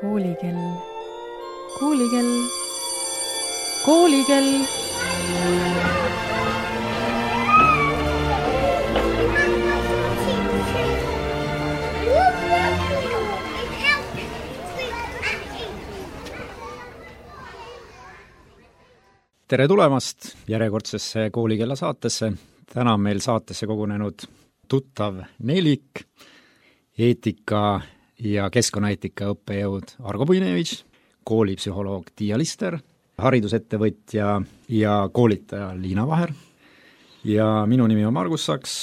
Koolikell, koolikell, koolikell. Tere tulemast järjekordsesse Koolikella saatesse. Täna on meil saatesse kogunenud tuttav nelik, eetika ja keskkonnaeetika õppejõud Argo Puinevitš, koolipsühholoog Tiia Lister, haridusettevõtja ja koolitaja Liina Vaher ja minu nimi on Margus Saks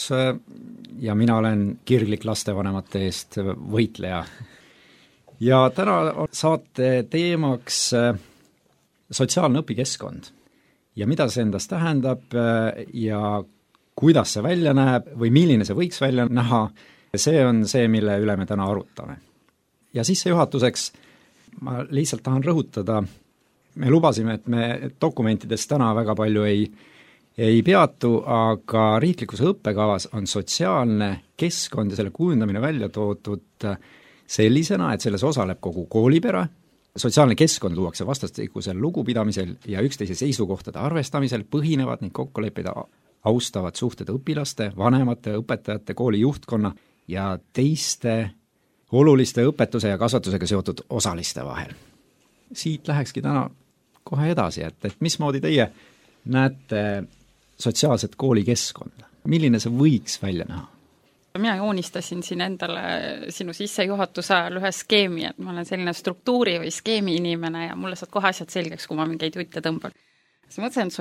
ja mina olen kirglik lastevanemate eest võitleja. Ja täna on saate teemaks sotsiaalne õpikeskkond ja mida see endast tähendab ja kuidas see välja näeb või milline see võiks välja näha, see on see, mille üle me täna arutame. Ja sissejuhatuseks ma lihtsalt tahan rõhutada, me lubasime, et me dokumentides täna väga palju ei peatu, aga riiklikus õppekavas on sotsiaalne keskkond ja selle kujundamine välja toodud sellisena, et selles osaleb kogu koolipere. Sotsiaalne keskkond luuakse vastastikusel lugupidamisel ja üksteise seisukohtade arvestamisel põhinevad ning kokkuleppida austavad suhted õpilaste, vanemate, õpetajate, kooli juhtkonna ja teiste oluliste õpetuse ja kasvatusega seotud osaliste vahel. Siit lähekski täna kohe edasi, et mismoodi teie näete sotsiaalset koolikeskkonda? Milline see võiks välja näha? Mina joonistasin siin endale sinu sissejuhatuse ajal ühe skeemi, et ma olen selline struktuuri või skeemi inimene ja mulle saad kohe asjad selgeks, kui ma mingeid jutte tõmban. Siis mõtlesin, et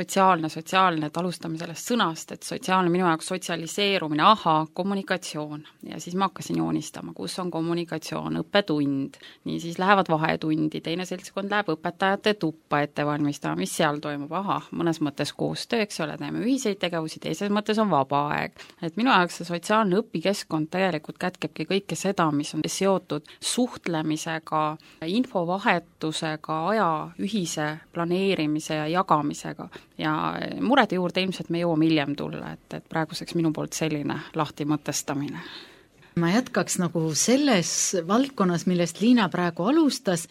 sotsiaalne, et alustame sellest sõnast, et sotsiaalne minu jaoks sotsialiseerumine, kommunikatsioon. Ja siis ma hakkasin joonistama, kus on kommunikatsioon, õppetund, nii siis lähevad vahetundi, teine seltskond läheb õpetajate tuppa ette valmistama, mis seal toimub, mõnes mõttes koostöö, eks ole, teeme ühiseid tegevusi, teises mõttes on vaba aeg. Et minu jaoks see sotsiaalne õpikeskkond tegelikult kätkebki kõike seda, mis on seotud suhtlemisega, infovahetusega, aja ühise planeerimise ja jagamise. Ja murede juurde ilmselt me jõuame hiljem tulla, et praeguseks minu poolt selline lahti mõtestamine. Ma jätkaks nagu selles valdkonnas, millest Liina praegu alustas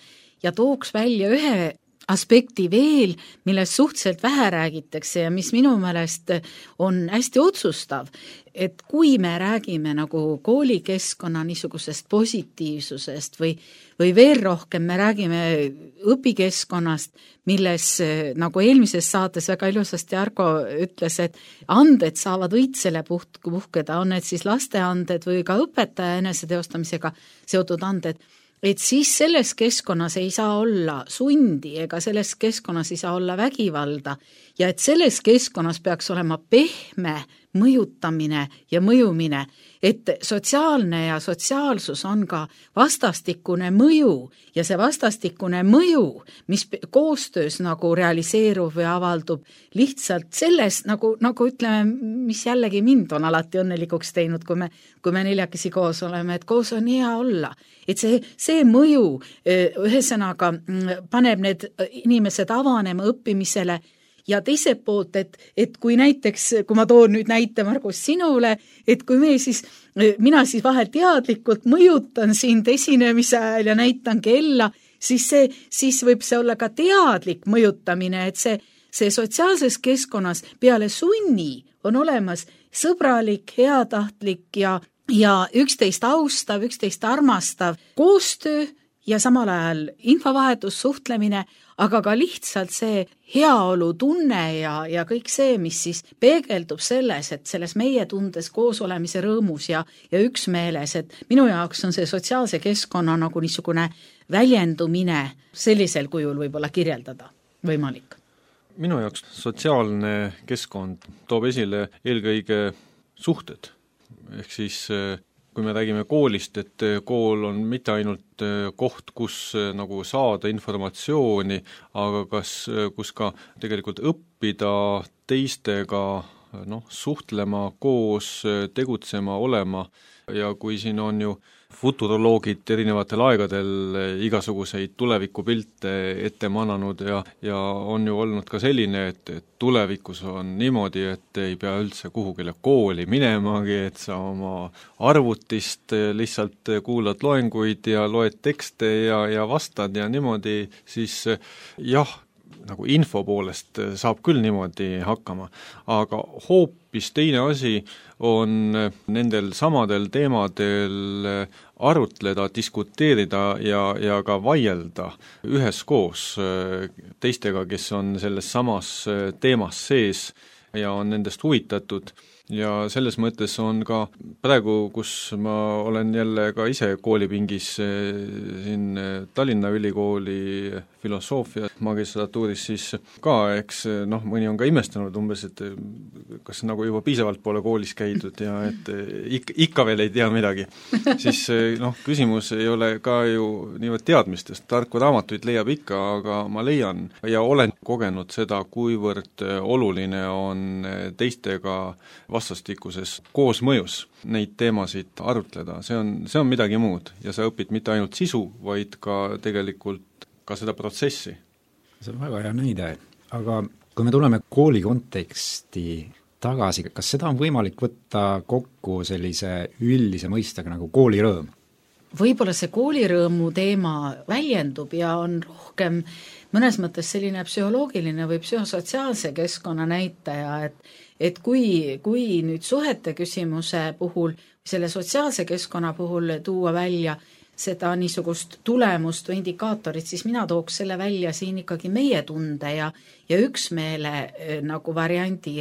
ja tooks välja ühe aspekti veel, millest suhteliselt vähe räägitakse ja mis minu meelest on hästi otsustav, et kui me räägime nagu koolikeskkonna niisugusest positiivsusest või veel rohkem me räägime õpikeskkonnast, milles nagu eelmises saates väga ilusasti Argo ütles, et anded saavad õitsele puhkeda, on need siis lasteanded või ka õpetaja eneseteostamisega seotud anded, et siis selles keskkonnas ei saa olla sundi ega selles keskkonnas ei saa olla vägivalda ja et selles keskkonnas peaks olema pehme mõjutamine ja mõjumine, et sotsiaalne ja sotsiaalsus on ka vastastikune mõju ja see vastastikune mõju, mis koostöös nagu realiseerub või avaldub lihtsalt selles, nagu ütleme, mis jällegi mind on alati õnnelikuks teinud, kui me neljakesi koos oleme, et koos on hea olla. Et see mõju ühesõnaga paneb need inimesed avanema õppimisele ja teiselt poolt, et kui näiteks, kui ma toon nüüd näite Margus sinule, et kui mina siis vahel teadlikult mõjutan sind esinemise ajal ja näitan kella, siis võib see olla ka teadlik mõjutamine, et see sotsiaalses keskkonnas peale sunni on olemas sõbralik, heatahtlik ja üksteist austav, üksteist armastav koostöö ja samal ajal infovahetus, suhtlemine, aga ka lihtsalt see heaolu tunne ja kõik see, mis siis peegeldub selles, et selles meie tundes koos olemise rõõmus ja üksmeeles, et minu jaoks on see sotsiaalse keskkonna nagu niisugune väljendumine sellisel kujul võib-olla kirjeldada võimalik. Minu jaoks sotsiaalne keskkond toob esile eelkõige suhted. Ehk siis kui me räägime koolist, et kool on mitte ainult koht, kus nagu saada informatsiooni, aga kus ka tegelikult õppida teistega suhtlema, koos tegutsema, olema ja kui siin on ju futuroloogid erinevatel aegadel igasuguseid tulevikupilte ette mananud ja on ju olnud ka selline, et tulevikus on niimoodi, et ei pea üldse kuhugile kooli minemagi, et sa oma arvutist lihtsalt kuulad loenguid ja loed tekste ja vastad ja niimoodi, siis jah, nagu info poolest saab küll niimoodi hakkama, aga hoopis teine asi on nendel samadel teemadel arutleda, diskuteerida ja ka vaielda üheskoos teistega, kes on selles samas teemas sees ja on nendest huvitatud. Ja selles mõttes on ka praegu, kus ma olen jälle ka ise koolipingis siin Tallinna Ülikooli filosoofia magistratuuris, siis ka, eks mõni on ka imestanud umbes, et kas nagu juba piisavalt pole koolis käidud ja et ikka veel ei tea midagi. Siis küsimus ei ole ka ju niivõrd teadmistest, tarku raamatuid leiab ikka, aga ma leian ja olen kogenud seda, kuivõrd oluline on teistega vastastikuses koosmõjus neid teemasid arutleda, see on midagi muud ja sa õpid mitte ainult sisu, vaid ka tegelikult ka seda protsessi. See on väga hea näide, aga kui me tuleme kooli konteksti tagasi, kas seda on võimalik võtta kokku sellise üldise mõistega nagu koolirõõm? Võib-olla see koolirõõmu teema väljendub ja on rohkem mõnes mõttes selline psühholoogiline või psühhosotsiaalse keskkonna näitaja, et kui nüüd suhete küsimuse puhul, selle sotsiaalse keskkonna puhul tuua välja seda niisugust tulemust või indikaatorit, siis mina tooks selle välja siin ikkagi meie tunde ja üksmeele nagu variandi,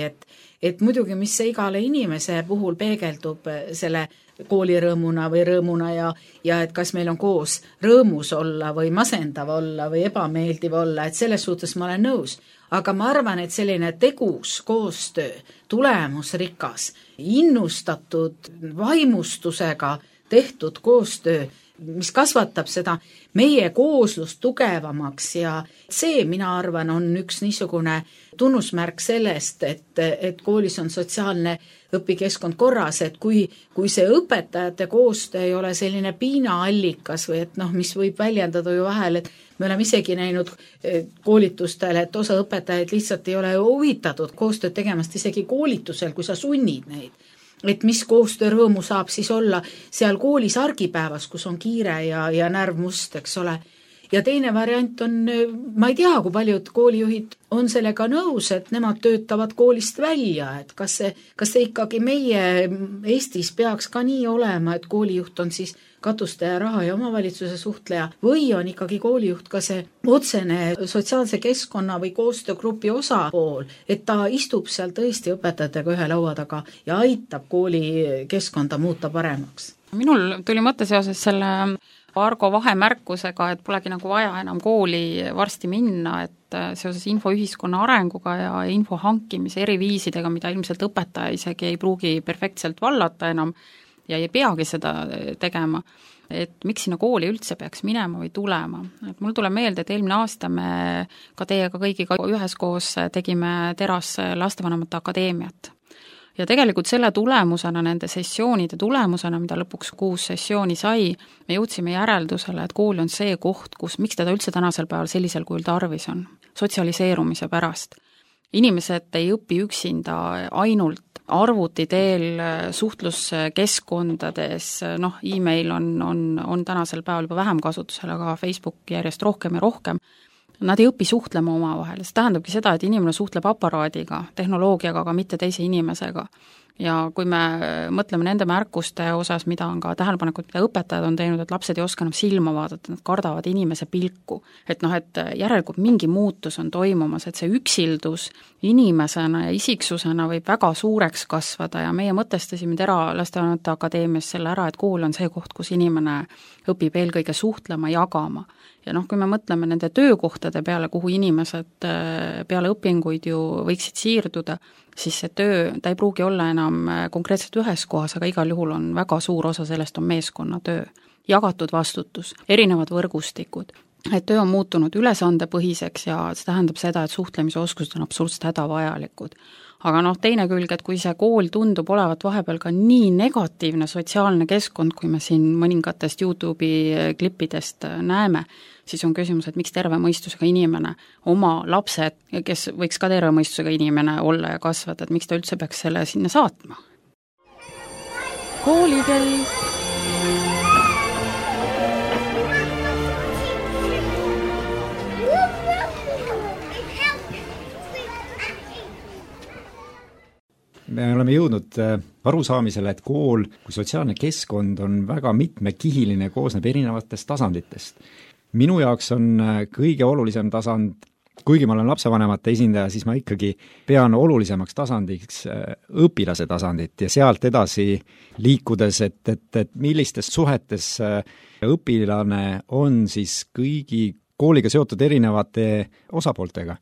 et muidugi, mis see igale inimese puhul peegeldub selle koolirõõmuna või rõõmuna ja et kas meil on koos rõõmus olla või masendav olla või ebameeldiv olla, et selles suhtes ma olen nõus. Aga ma arvan, et selline tegus koostöö, tulemusrikas, innustatud vaimustusega tehtud koostöö, mis kasvatab seda meie kooslust tugevamaks ja see, mina arvan, on üks niisugune tunnusmärk sellest, et koolis on sotsiaalne õpikeskkond korras, et kui see õpetajate koostöö ei ole selline piinaallikas või et mis võib väljendada ju vahel, et me oleme isegi näinud koolitustel, et osa õpetajaid lihtsalt ei ole huvitatud koostööd tegemast isegi koolitusel, kui sa sunnid neid. Et mis koostöörõõmu saab siis olla seal koolis argipäevas, kus on kiire ja närv must, eks ole. Ja teine variant on, ma ei tea, kui paljud koolijuhid on sellega nõus, et nemad töötavad koolist välja, et kas see ikkagi meie Eestis peaks ka nii olema, et koolijuht on siis katuste ja raha ja omavalitsuse suhtleja või on ikkagi koolijuht ka see otsene sotsiaalse keskkonna või koostöögrupi osapool, et ta istub seal tõesti õpetajatega ühe laua taga ja aitab kooli keskkonda muuta paremaks. Minul tuli mõte seoses selle Argo vahemärkusega, et polegi nagu vaja enam kooli varsti minna, et seoses infoühiskonna arenguga ja info hankimise eriviisidega, mida ilmselt õpetaja isegi ei pruugi perfektselt vallata enam ja ei peagi seda tegema, et miks sinna kooli üldse peaks minema või tulema. Et mul tuleb meelde, et eelmine aasta me ka teiega kõigiga üheskoos tegime Teras Lastevanemate Akadeemiat. Ja tegelikult selle tulemusena, nende sessioonide tulemusena, mida lõpuks 6 sessiooni sai, me jõudsime järeldusele, et kool on see koht, miks teda üldse tänasel päeval sellisel kujul tarvis on, sotsialiseerumise pärast. Inimesed ei õpi üksinda ainult arvuti teel suhtluskeskkondades, e-mail on tänasel päeval juba vähem kasutusel, aga Facebook järjest rohkem ja rohkem. Nad ei õpi suhtlema omavahel, see tähendabki seda, et inimene suhtleb aparaadiga, tehnoloogiaga, aga mitte teise inimesega. Ja kui me mõtleme nende märkuste osas, mida on ka tähelepanekud, mida õpetajad on teinud, et lapsed ei oska enam silma vaadata, nad kardavad inimese pilku. Et järelikult mingi muutus on toimumas, et see üksildus inimesena ja isiksusena võib väga suureks kasvada ja meie mõtestasime Tera Lastevanemate Akadeemias selle ära, et kool on see koht, kus inimene õpib eelkõige suhtlema, jagama. Ja kui me mõtleme nende töökohtade peale, kuhu inimesed peale õpinguid ju võiksid siirduda, siis see töö, ta ei pruugi olla enam konkreetselt ühes kohas, aga igal juhul on väga suur osa sellest on meeskonnatöö, jagatud vastutus, erinevad võrgustikud. Et töö on muutunud ülesandepõhiseks ja see tähendab seda, et suhtlemise oskused on absoluutselt hädavajalikud. aga teine külg, et kui see kool tundub olevat vahepeal ka nii negatiivne sotsiaalne keskkond, kui me siin mõningatest YouTube'i klippidest näeme, siis on küsimus, et miks terve mõistusega inimene, oma lapsed, kes võiks ka terve mõistusega inimene olla ja kasvada, et miks ta üldse peaks selle sinna saatma? Koolikell. Me oleme jõudnud arusaamisele, et kool kui sotsiaalne keskkond on väga mitmekihiline, koosneb erinevatest tasanditest. Minu jaoks on kõige olulisem tasand, kuigi ma olen lapsevanemate esindaja, siis ma ikkagi pean olulisemaks tasandiks õpilase tasandit ja sealt edasi liikudes, et millistes suhetes õpilane on siis kõigi kooliga seotud erinevate osapooltega.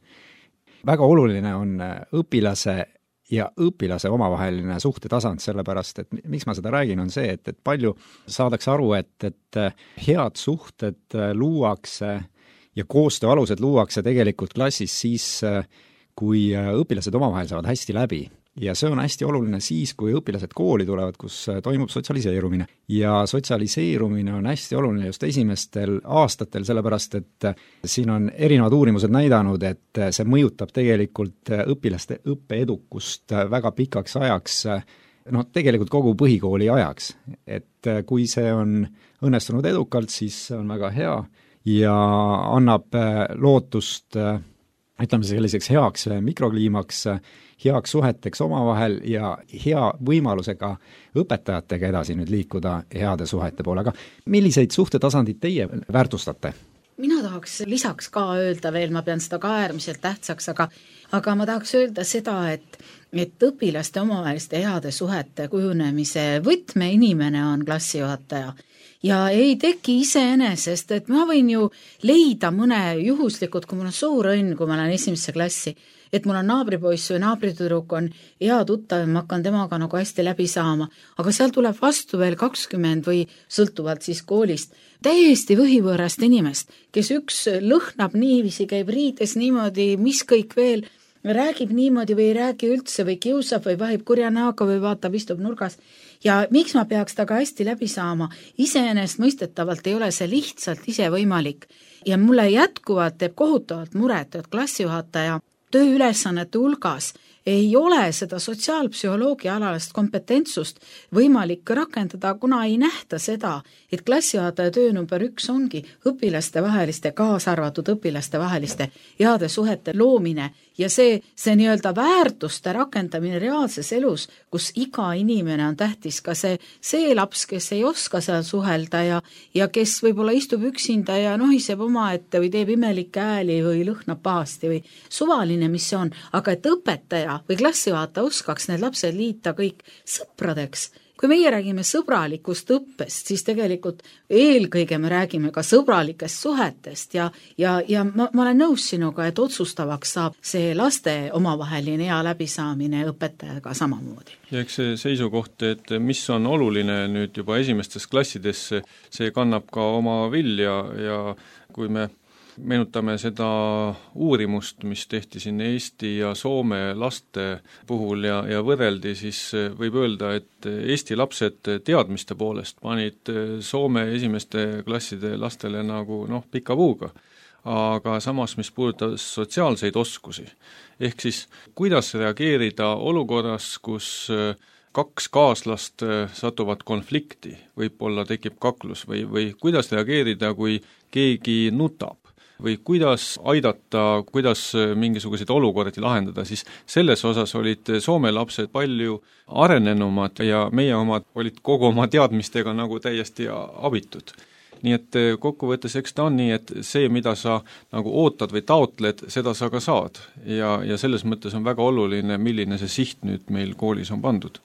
Väga oluline on õpilase ja õpilase omavaheline suhtetasand, sellepärast, et miks ma seda räägin, on see, et palju saadakse aru, et head suhted luuakse ja koostöö alused luuakse tegelikult klassis siis, kui õpilased omavahel saavad hästi läbi. Ja see on hästi oluline siis, kui õpilased kooli tulevad, kus toimub sotsialiseerumine. Ja sotsialiseerumine on hästi oluline just esimestel aastatel, sellepärast et siin on erinevad uurimused näidanud, et see mõjutab tegelikult õpilaste õppeedukust väga pikaks ajaks, tegelikult kogu põhikooli ajaks. Et kui see on õnnestunud edukalt, siis see on väga hea ja annab lootust, ütleme selliseks heaks mikrokliimaks, heaks suheteks omavahel ja hea võimalusega õpetajatega edasi nüüd liikuda heade suhete poole. Aga milliseid suhtetasandid teie väärtustate? Mina tahaks lisaks ka öelda veel, ma pean seda ka äärmiselt tähtsaks, aga ma tahaks öelda seda, et õpilaste omavaheliste heade suhete kujunemise võtmeinimene on klassijuhataja. Ja ei teki iseenesest, et ma võin ju leida mõne juhuslikud, kui mul on suur õnn, kui ma olen esimesse klassi, et mul on naabripoiss või naabritüdruk on hea tuttav ja ma hakkan temaga nagu hästi läbi saama, aga seal tuleb vastu veel 20 või sõltuvalt siis koolist täiesti võhivõõrast inimest, kes üks lõhnab niiviisi, käib riides niimoodi, mis kõik veel, räägib niimoodi või ei räägi üldse või kiusab või vahib kurja näoga või vaatab, istub nurgas. Ja miks ma peaks taga hästi läbi saama? Iseenesest mõistetavalt ei ole see lihtsalt ise võimalik. Ja mulle jätkuvalt teeb kohutavalt muret, et klassijuhataja tööülesannete hulgas ei ole seda sotsiaalpsühholoogia alalist kompetentsust võimalik rakendada, kuna ei nähta seda, et klassijuhataja töö number 1 ongi õpilaste vaheliste, kaasarvatud õpilaste vaheliste heade suhete loomine ja see nii-öelda väärtuste rakendamine reaalses elus, kus iga inimene on tähtis, ka see laps, kes ei oska seal suhelda ja kes võib-olla istub üksinda ja nohiseb omaette või teeb imelikke ääli või lõhnab pahasti või suvaline, mis see on, aga et õpetaja või klassijuhataja oskaks need lapsed liita kõik sõpradeks. Kui meie räägime sõbralikust õppest, siis tegelikult eelkõige me räägime ka sõbralikest suhetest ja ma olen nõus sinuga, et otsustavaks saab see laste omavaheline hea läbisaamine õpetajaga samamoodi. Ja eks see seisukoht, et mis on oluline nüüd juba esimestes klassides, see kannab ka oma vilja ja kui me meenutame seda uurimust, mis tehti siin Eesti ja Soome laste puhul ja võrreldi, siis võib öelda, et Eesti lapsed teadmiste poolest panid Soome esimeste klasside lastele nagu pika puuga. Aga samas, mis puudutab sotsiaalseid oskusi, ehk siis kuidas reageerida olukorras, kus 2 kaaslast satuvad konflikti, võib-olla tekib kaklus või kuidas reageerida, kui keegi nutab või kuidas aidata, kuidas mingisuguseid olukordi lahendada, siis selles osas olid Soome lapsed palju arenenumad ja meie omad olid kogu oma teadmistega nagu täiesti abitud. Nii et kokkuvõttes eks ta on nii, et see, mida sa nagu ootad või taotled, seda sa ka saad ja selles mõttes on väga oluline, milline see siht nüüd meil koolis on pandud.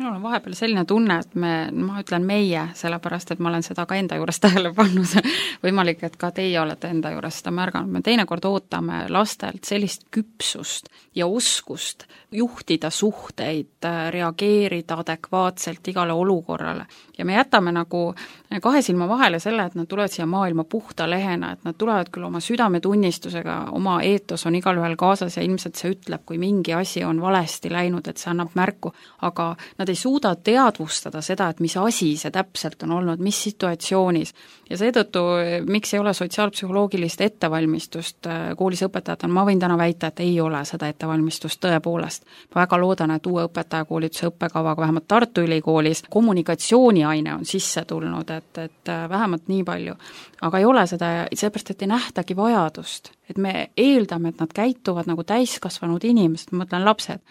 Mul on vahepeal selline tunne, et ma ütlen meie, sellepärast et ma olen seda ka enda juures tähele pannud, võimalik, et ka teie olete enda juures seda märganud, me teinekord ootame lastelt sellist küpsust ja oskust juhtida suhteid, reageerida adekvaatselt igale olukorrale ja me jätame nagu kahe silma vahele selle, et nad tulevad siia maailma puhta lehena, et nad tulevad küll oma südametunnistusega, oma eetos on igalühel kaasas ja ilmselt see ütleb, kui mingi asi on valesti läinud, et see annab märku, aga nad ei suuda teadvustada seda, et mis asi see täpselt on olnud, mis situatsioonis. Ja seetõttu, miks ei ole sotsiaalpsühholoogilist ettevalmistust koolis õpetajatel, ma võin täna väita, et ei ole seda ettevalmistust tõepoolest. Ma väga loodan, et uue õpetajakoolituse õppekavaga vähemalt Tartu Ülikoolis kommunikatsiooniaine on sisse tulnud, et vähemalt nii palju. Aga ei ole seda, seepärast, et ei nähtagi vajadust. Et me eeldame, et nad käituvad nagu täiskasvanud inimesed, ma mõtlen lapsed.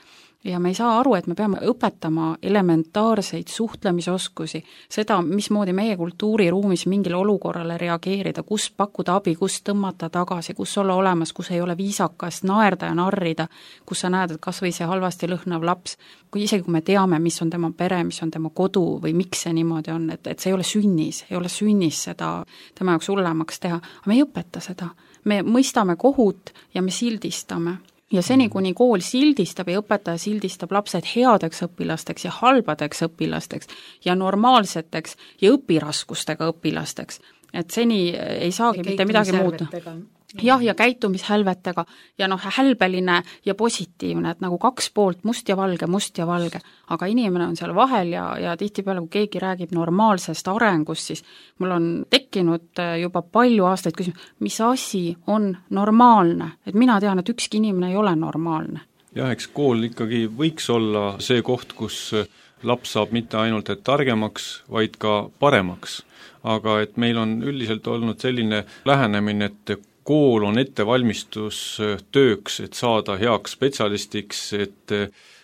Ja me ei saa aru, et me peame õpetama elementaarseid suhtlemisoskusi, seda, mismoodi meie kultuuriruumis mingile olukorrale reageerida, kus pakkuda abi, kus tõmmata tagasi, kus olla olemas, kus ei ole viisakas naerda ja narrida, kus sa näed, et kas või see halvasti lõhnav laps, isegi kui me teame, mis on tema pere, mis on tema kodu või miks see niimoodi on, et see ei ole sünnis seda tema jaoks hullemaks teha, aga me ei õpeta seda. Me mõistame kohut ja me sildistame. Ja seni, kuni kool sildistab ja õpetaja sildistab lapsed headeks õpilasteks ja halbadeks õpilasteks ja normaalseteks ja õpiraskustega õpilasteks, et seni ei saagi mitte midagi muuta. Jah, ja käitumishälvetega ja hälbeline ja positiivne, et nagu kaks poolt, must ja valge, aga inimene on seal vahel ja tihtipeale, kui keegi räägib normaalsest arengust, siis mul on tekkinud juba palju aastaid küsimus, mis asi on normaalne, et mina tean, et ükski inimene ei ole normaalne. Jah, eks kool ikkagi võiks olla see koht, kus laps saab mitte ainult et targemaks, vaid ka paremaks, aga et meil on üldiselt olnud selline lähenemine, et kool on ettevalmistus tööks, et saada heaks spetsialistiks, et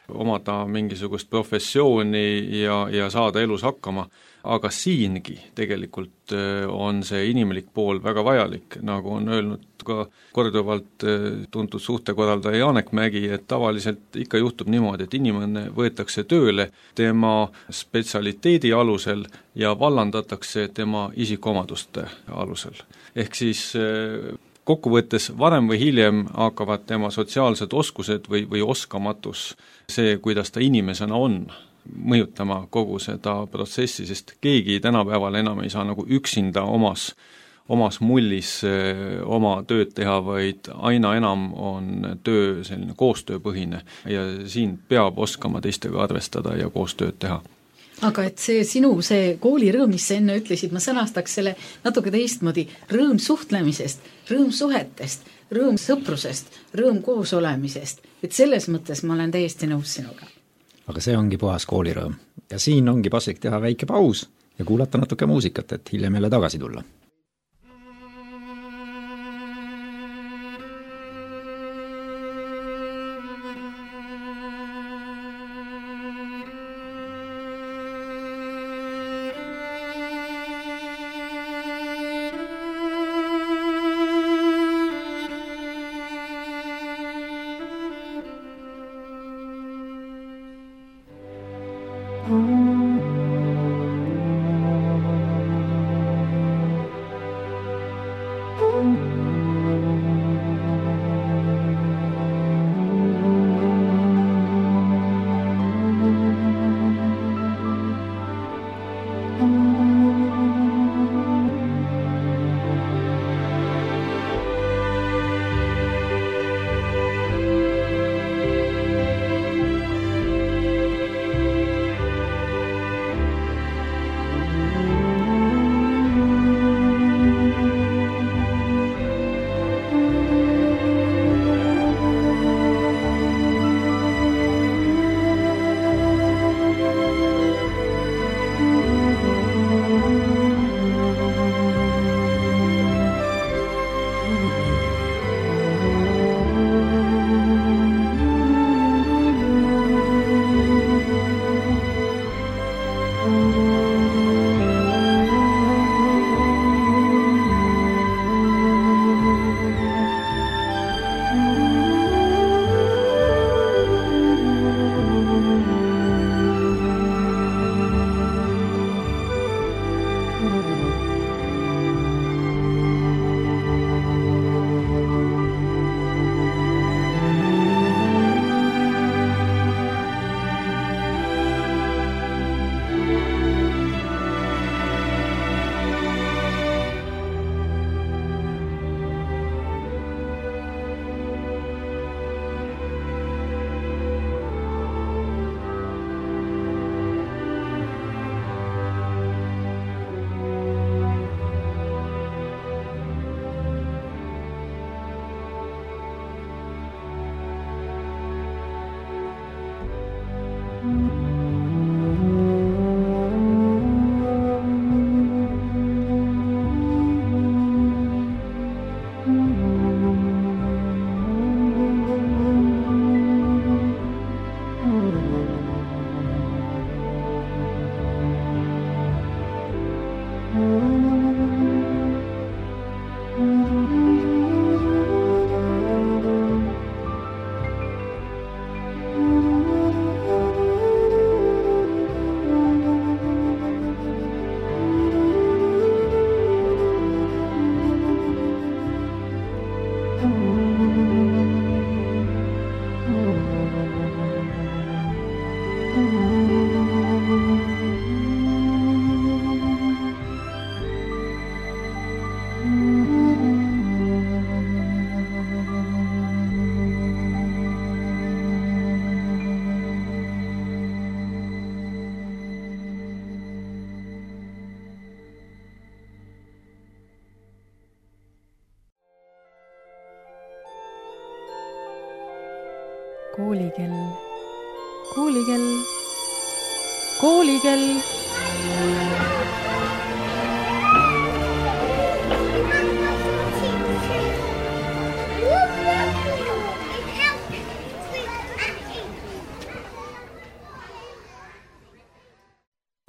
omada mingisugust professiooni ja saada elus hakkama. Aga siingi tegelikult on see inimlik pool väga vajalik, nagu on öelnud ka korduvalt tuntud suhtekorraldaja Janek Mägi, et tavaliselt ikka juhtub niimoodi, et inimene võetakse tööle tema spetsialiteedi alusel ja vallandatakse tema isikuomaduste alusel. Ehk siis kokkuvõttes varem või hiljem hakkavad tema sotsiaalsed oskused või oskamatus, see, kuidas ta inimesena on, mõjutama kogu seda protsessi, sest keegi tänapäeval enam ei saa nagu üksinda omas mullis oma tööd teha, vaid aina enam on töö selline koostööpõhine ja siin peab oskama teistega arvestada ja koostööd teha. Aga et see koolirõõm, mis sa enne ütlesid, ma sõnastaks selle natuke teistmoodi, rõõm suhtlemisest, rõõm suhetest, rõõm sõprusest, rõõm koos olemisest, et selles mõttes ma olen täiesti nõus sinuga. Aga see ongi puhas koolirõõm ja siin ongi paslik teha väike paus ja kuulata natuke muusikat, et hiljem jälle tagasi tulla. Koolikell. Koolikell. Koolikell.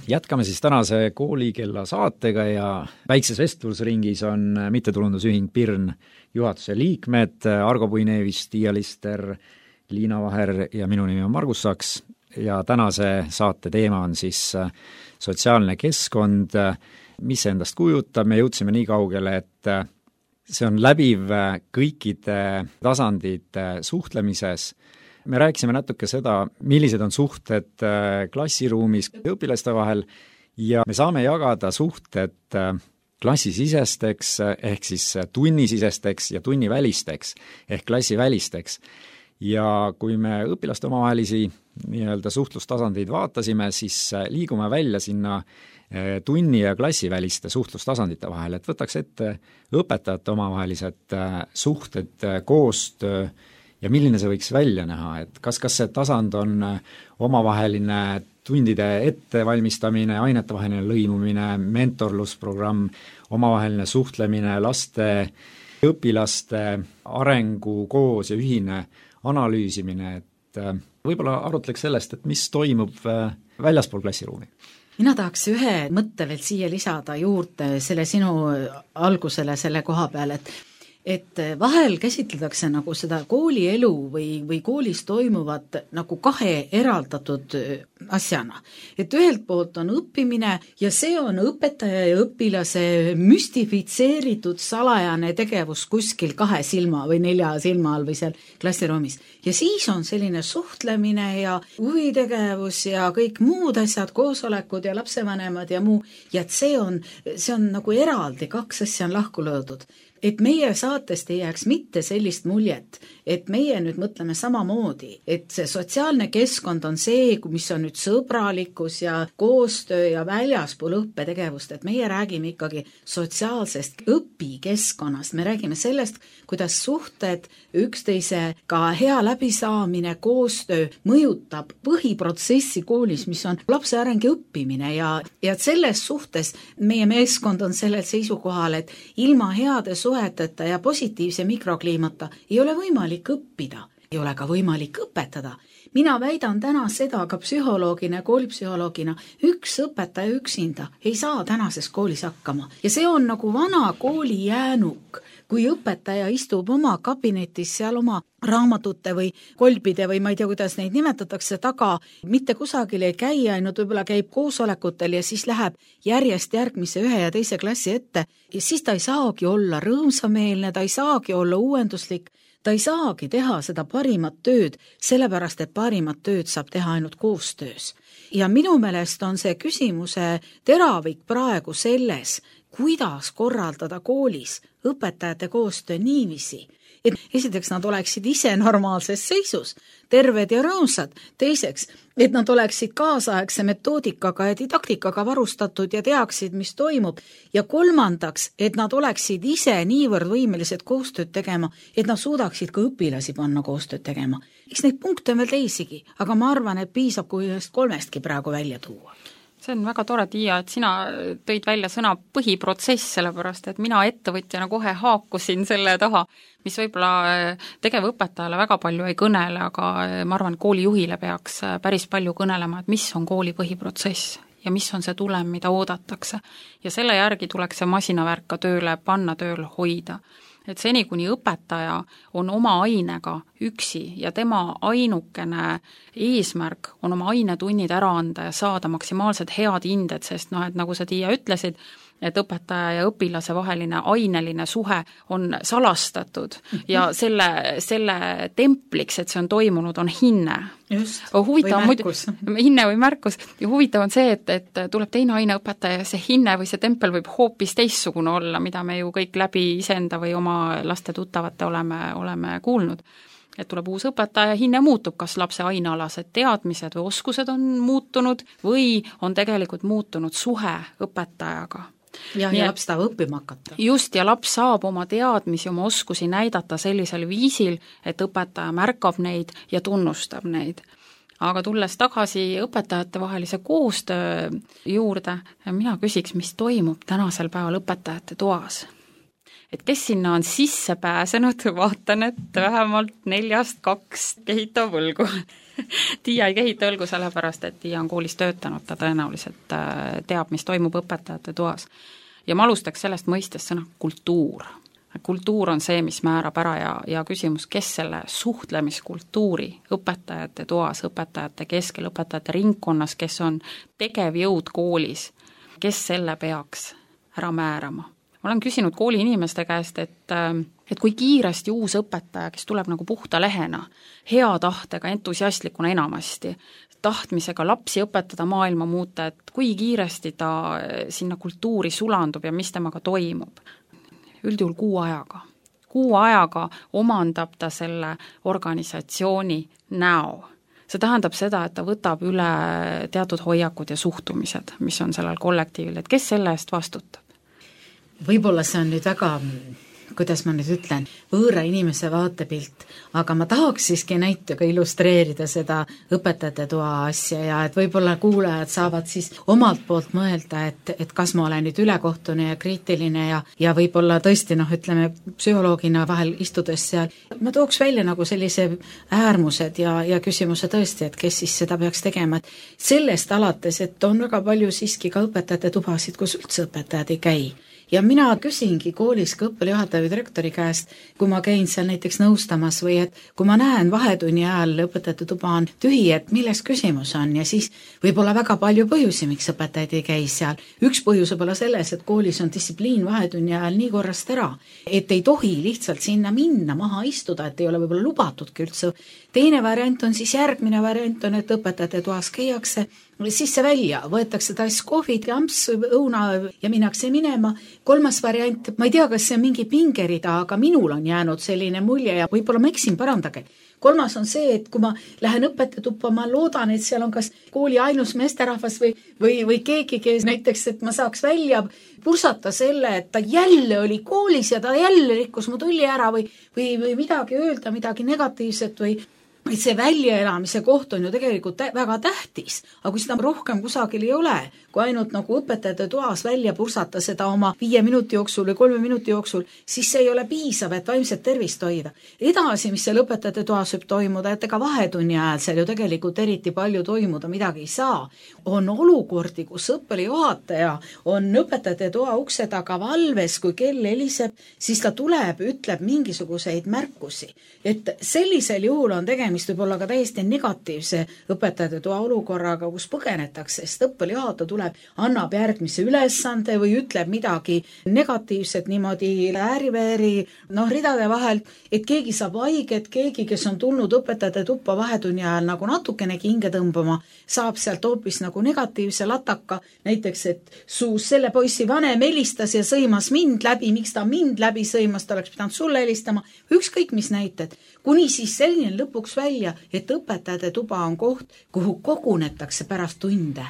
Jätkame siis tänase Koolikella saatega ja väikses vestlusringis on mittetulundusühing Pirn juhatuse liikmed Argo Puinevis, Tiia Lister, Liina Vaher ja minu nimi on Margus Saks ja tänase saate teema on siis sotsiaalne keskkond, mis endast kujutab. Me jõudsime nii kaugele, et see on läbiv kõikide tasandite suhtlemises. Me rääkisime natuke seda, millised on suhted klassiruumis õpilaste vahel ja me saame jagada suhted klassisisesteks ehk siis tunnisisesteks ja tunnivälisteks ehk klassivälisteks. Ja kui me õpilaste omavahelisi nii-öelda suhtlustasandeid vaatasime, siis liigume välja sinna tunni- ja klassiväliste suhtlustasandite vahel, et võtaks ette õpetajate omavahelised suhted, koostöö ja milline see võiks välja näha, et kas see tasand on omavaheline tundide ettevalmistamine, ainetevaheline lõimumine, mentorlusprogramm, omavaheline suhtlemine, laste, õpilaste arengu koos ja ühine analüüsimine, et võib-olla arutleks sellest, et mis toimub väljaspool klassiruumi. Mina tahaks ühe mõtte veel siia lisada juurde selle sinu algusele selle koha peal, et vahel käsitletakse nagu seda koolielu või koolis toimuvat nagu kahe eraldatud asjana. Et ühelt poolt on õppimine ja see on õpetaja ja õpilase müstifitseeritud salajane tegevus kuskil 2 silma või 4 silma all või seal klassiruumis. Ja siis on selline suhtlemine ja huvitegevus ja kõik muud asjad, koosolekud ja lapsevanemad ja muu. Ja et see on nagu eraldi, 2 asja on lahku löödud. Et meie saatest ei jääks mitte sellist muljet, et meie nüüd mõtleme samamoodi, et see sotsiaalne keskkond on see, mis on nüüd sõbralikkus ja koostöö ja väljaspool õppetegevust, et meie räägime ikkagi sotsiaalsest õpikeskkonnast, me räägime sellest, kuidas suhted, üksteisega hea läbisaamine, koostöö mõjutab põhiprotsessi koolis, mis on lapse areng ja õppimine ja selles suhtes meie meeskond on sellel seisukohal, et ilma heade suheteta ja positiivse mikrokliimata ei ole võimalik õppida, ei ole ka võimalik õpetada. Mina väidan täna seda ka psühholoogina, koolipsühholoogina, üks õpetaja üksinda ei saa tänases koolis hakkama. Ja see on nagu vana kooli jäänuk, kui õpetaja istub oma kabinetis seal oma raamatute või kolbide või ma ei tea, kuidas neid nimetatakse taga, mitte kusagil ei käi, ainult võib-olla käib koosolekutel ja siis läheb järjest järgmise 1 ja 2 klassi ette ja siis ta ei saagi olla rõõmsameelne, ta ei saagi olla uuenduslik, ta ei saagi teha seda parimat tööd, sellepärast et parimat tööd saab teha ainult koostöös. Ja minu meelest on see küsimuse teravik praegu selles, kuidas korraldada koolis õpetajate koostöö niiviisi, et esiteks nad oleksid ise normaalses seisus, terved ja rõõmsad, teiseks, et nad oleksid kaasaegse metoodikaga ja didaktikaga varustatud ja teaksid, mis toimub, ja kolmandaks, et nad oleksid ise niivõrd võimelised koostööd tegema, et nad suudaksid ka õpilasi panna koostööd tegema. Eks neid punkte on veel teisigi, aga ma arvan, et piisab, kui 3 praegu välja tuua. See on väga tore, Tiia, et sina tõid välja sõna põhiprotsess, sellepärast et mina ettevõtjana kohe haakusin selle taha, mis võib-olla tegevõpetajale väga palju ei kõnele, aga ma arvan, et koolijuhile peaks päris palju kõnelema, et mis on kooli põhiprotsess ja mis on see tulem, mida oodatakse. Ja selle järgi tuleks see masinavärk ka tööle panna, tööl hoida. Et seni, kuni õpetaja on oma ainega üksi ja tema ainukene eesmärk on oma ainetunnid ära anda ja saada maksimaalselt head hinded, sest et nagu sa, Tiia, ütlesid, et õpetaja ja õpilase vaheline aineline suhe on salastatud ja selle templiks, et see on toimunud, on hinne. Just, või märkus. Hinne või märkus. Ja huvitav on see, et tuleb teine aineõpetaja ja see hinne või see tempel võib hoopis teissugune olla, mida me ju kõik läbi iseenda või oma laste tuttavate oleme kuulnud. Et tuleb uus õpetaja, hinne muutub, kas lapse ainealased teadmised või oskused on muutunud või on tegelikult muutunud suhe õpetajaga. ja laps tahab õppima hakata. Just, ja laps saab oma teadmisi, oma oskusi näidata sellisel viisil, et õpetaja märkab neid ja tunnustab neid. Aga tulles tagasi õpetajate vahelise koostöö juurde, mina küsiks, mis toimub tänasel päeval õpetajate toas. Et kes sinna on sisse pääsenud, vaatan, et vähemalt 4-2 kehitab õlgu. Tiia ei kehita õlgu sellepärast, et Tiia on koolis töötanud, ta tõenäoliselt teab, mis toimub õpetajate toas. Ja ma alustaks sellest mõistest sõna kultuur. Kultuur on see, mis määrab ära ja küsimus, kes selle suhtlemiskultuuri õpetajate toas, õpetajate keskel, õpetajate ringkonnas, kes on tegevjõud koolis, kes selle peaks ära määrama. Ma olen küsinud kooli inimeste käest, et kui kiiresti uus õpetaja, kes tuleb nagu puhta lehena, hea tahtega, entusiastlikuna enamasti, tahtmisega lapsi õpetada, maailma muuta, et kui kiiresti ta sinna kultuuri sulandub ja mis temaga toimub. Üldjuhul 6 ajaga. 6 ajaga omandab ta selle organisatsiooni näo. See tähendab seda, et ta võtab üle teatud hoiakud ja suhtumised, mis on sellel kollektiivil, et kes selle eest vastutab? Võib-olla see on nüüd väga, kuidas ma nüüd ütlen, võõra inimese vaatepilt, aga ma tahaks siiski näitega illustreerida seda õpetajate toa asja ja et võib-olla kuulajad saavad siis omalt poolt mõelda, et kas ma olen nüüd ülekohtune ja kriitiline ja võib-olla tõesti, ütleme, psühholoogina vahel istudes seal. Ma tooks välja nagu sellise äärmused ja küsimuse tõesti, et kes siis seda peaks tegema. Et sellest alates, et on väga palju siiski ka õpetajate tubasid, kus üldse õpetajad ei käi. Ja mina küsingi koolis ka õppejuhataja või direktori käest, kui ma käin seal näiteks nõustamas või et kui ma näen vahetunni ajal õpetajate tuba on tühi, et milles küsimus on ja siis võib-olla väga palju põhjusi, miks õpetajad ei käi seal. Üks põhjus võib olla selles, et koolis on distsipliin vahetunni ajal nii korrast ära, et ei tohi lihtsalt sinna minna, maha istuda, et ei ole võib-olla lubatudki üldse. Teine variant on siis järgmine variant on, et õpetajate toas käiakse sisse välja, võetakse taas kohvid, jamps, õuna ja minnakse minema. 3. variant, ma ei tea, kas see on mingi pingerida, aga minul on jäänud selline mulje ja võib-olla ma eksin, parandage. 3. on see, et kui ma lähen õpetajatuppa, ma loodan, et seal on kas kooli ainus meesterahvas või keegi, kes näiteks, et ma saaks välja pursata selle, et ta jälle oli koolis ja ta jälle rikkus mu tulli ära või midagi öelda, midagi negatiivset või et see väljaelamise koht on ju tegelikult väga tähtis, aga kui seda rohkem kusagil ei ole, kui ainult nagu õpetajate toas välja pursata seda oma 5 minuti jooksul või 3 minuti jooksul, siis see ei ole piisav, et vaimset tervist hoida. Edasi, mis seal õpetajate toas võib toimuda, et ega vahetunni ajal seal ju tegelikult eriti palju toimuda midagi ei saa. On olukordi, kus õppejuhataja on õpetajate toa ukse taga valves, kui kell heliseb, siis ta tuleb, ütleb mingisuguseid märkusi. Et sellisel juhul on tegemist võib olla ka täiesti negatiivse õpetajate toa olukorraga, kus põgenetakse, sest õppejuhataja tuleb, annab järgmise ülesande või ütleb midagi negatiivset niimoodi ääri-vääri, ridade vahel, et keegi saab haiget, keegi, kes on tulnud õpetajate tuppa vahetunni ajal nagu natukenegi hinge tõmbama, saab sealt hoopis nagu negatiivse lataka, näiteks, et selle poissi vanem helistas ja sõimas mind läbi, miks ta mind läbi sõimas, ta oleks pidanud sulle helistama, ükskõik mis näited, kuni siis selline lõpuks välja, et õpetajate tuba on koht, kuhu kogunetakse pärast tunde,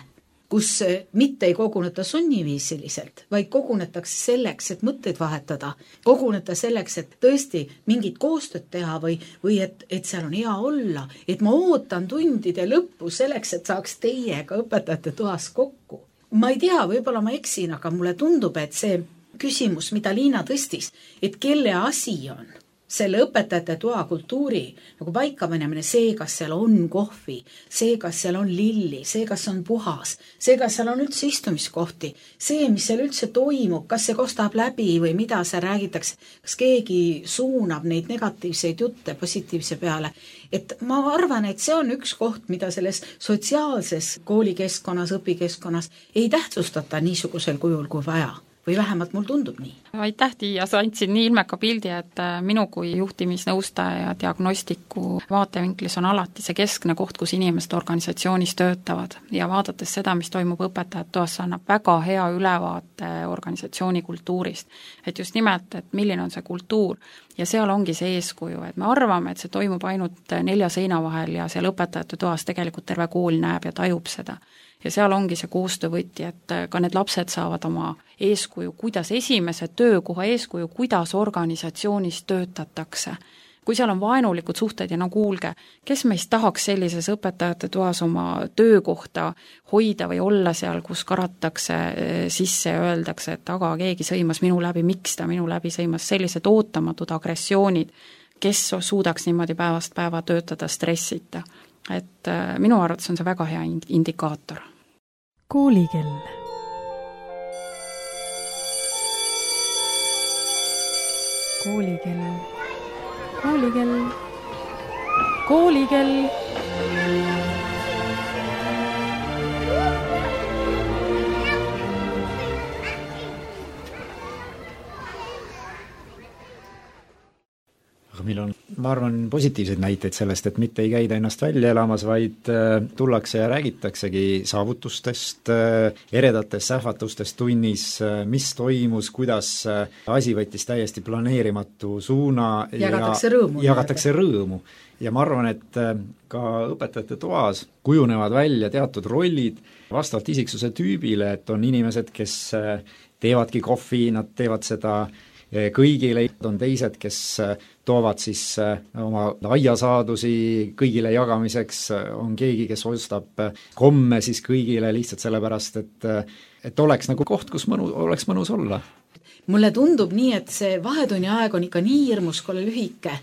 kus mitte ei koguneta sunniviisiliselt, vaid kogunetakse selleks, et mõtteid vahetada, koguneta selleks, et tõesti mingit koostööd teha või et seal on hea olla, et ma ootan tundide lõppu selleks, et saaks teiega õpetajate toas kokku. Ma ei tea, võib-olla ma eksin, aga mulle tundub, et see küsimus, mida Liina tõstis, et kelle asi on selle õpetajate toa kultuuri nagu paikapanemine, see, kas seal on kohvi, see, kas seal on lilli, see, kas on puhas, see, kas seal on üldse istumiskohti, see, mis seal üldse toimub, kas see kostab läbi või mida seal räägitakse, kas keegi suunab neid negatiivseid jutte positiivse peale. Et ma arvan, et see on üks koht, mida selles sotsiaalses koolikeskkonnas, õpikeskkonnas ei tähtsustata niisugusel kujul kui vaja. Või vähemalt mul tundub nii. Aitäh, Tiia, sa andsid nii ilmeka pildi, et minu kui juhtimisnõustaja ja diagnostiku vaatevinklis on alati see keskne koht, kus inimesed organisatsioonis töötavad ja vaadates seda, mis toimub õpetajate toas, annab väga hea ülevaate organisatsiooni kultuurist. Et just nimelt, et milline on see kultuur ja seal ongi see eeskuju, et me arvame, et see toimub ainult 4 seina vahel ja seal õpetajate toas tegelikult terve kool näeb ja tajub seda. ja seal ongi see koostöövõti, et ka need lapsed saavad oma eeskuju, kuidas esimese töökoha eeskuju, kuidas organisatsioonis töötatakse. Kui seal on vaenulikud suhted ja no kuulge, kes meist tahaks sellises õpetajate toas oma töökohta hoida või olla seal, kus karatakse sisse ja öeldakse, et aga keegi sõimas minu läbi, miks ta minu läbi sõimas, sellised ootamatud agressioonid, kes suudaks niimoodi päevast päeva töötada stressita. Et minu arvates on see väga hea indikaator. Koolikell. Koolikell. Koolikell. Koolikell. Aga meil on, ma arvan, positiivseid näiteid sellest, et mitte ei käida ennast välja elamas, vaid tullakse ja räägitaksegi saavutustest, eredatest sähvatustest tunnis, mis toimus, kuidas asi võttis täiesti planeerimatu suuna jagatakse rõõmu. Ja ma arvan, et ka õpetajate toas kujunevad välja teatud rollid vastavalt isiksuse tüübile, et on inimesed, kes teevadki kohvi, nad teevad seda kõigile, on teised, kes toovad siis oma aiasaadusi kõigile jagamiseks, on keegi, kes ostab komme siis kõigile lihtsalt sellepärast, et oleks nagu koht, kus oleks mõnus olla. Mulle tundub nii, et see vahetunni aeg on ikka nii hirmus kole lühike,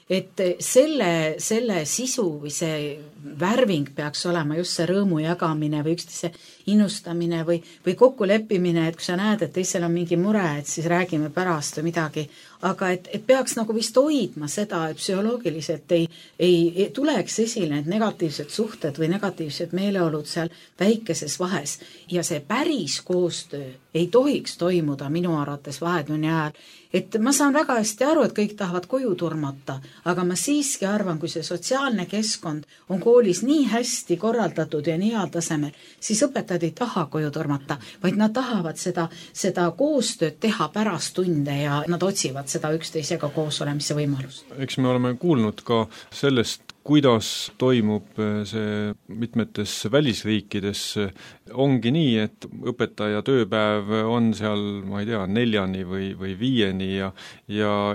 et selle sisu või see värving peaks olema just see rõõmu jagamine või üksteise innustamine või kokkuleppimine, et kui sa näed, et teisel on mingi mure, et siis räägime pärast või midagi, aga et peaks nagu vist hoidma seda, et psühholoogiliselt ei tuleks esile need negatiivsed suhted või negatiivsed meeleolud seal väikeses vahes ja see päris koostöö ei tohiks toimuda minu arvates vahetunni ajal. Et ma saan väga hästi aru, et kõik tahavad koju turmata, aga ma siiski arvan, kui see sotsiaalne keskkond on koolis nii hästi korraldatud ja nii heal tasemel, siis õpetajad ei taha koju turmata, vaid nad tahavad seda koostööd teha pärast tunde ja nad otsivad seda üksteisega koos olemise võimalust. Eks me oleme kuulnud ka sellest, kuidas toimub see mitmetes välisriikides, ongi nii, et õpetaja tööpäev on seal, ma ei tea, 4 või 5 ja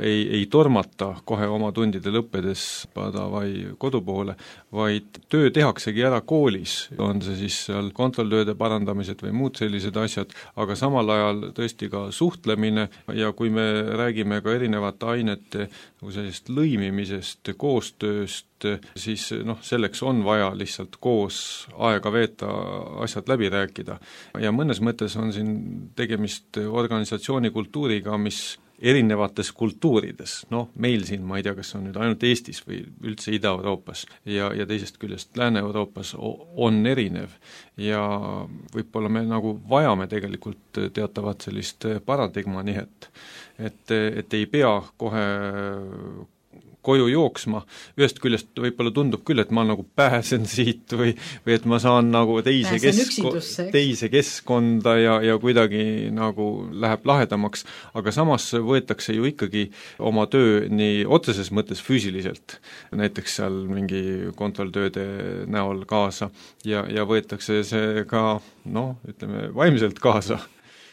ei tormata kohe oma tundide lõppedes vai kodu poole, vaid töö tehaksegi ära koolis, on see siis seal kontrolltööde parandamised või muud sellised asjad, aga samal ajal tõesti ka suhtlemine ja kui me räägime ka erinevate ainete sellisest lõimimisest, koostööst, siis selleks on vaja lihtsalt koos aega veeta, asjad läbi rääkida. Ja mõnes mõttes on siin tegemist organisatsiooni kultuuriga, mis erinevates kultuurides, meil siin, ma ei tea, kas on nüüd ainult Eestis või üldse Ida-Euroopas ja teisest küljest Lääne-Euroopas on erinev ja võib-olla me nagu vajame tegelikult teatavat sellist paradigmanihet, et ei pea kohe koju jooksma, ühest küljest võib-olla tundub küll, et ma nagu pääsen siit või et ma saan nagu teise keskkonda ja kuidagi nagu läheb lahedamaks, aga samas võetakse ju ikkagi oma töö nii otseses mõttes füüsiliselt, näiteks seal mingi kontrolltööde näol kaasa ja võetakse see ka, ütleme, vaimselt kaasa.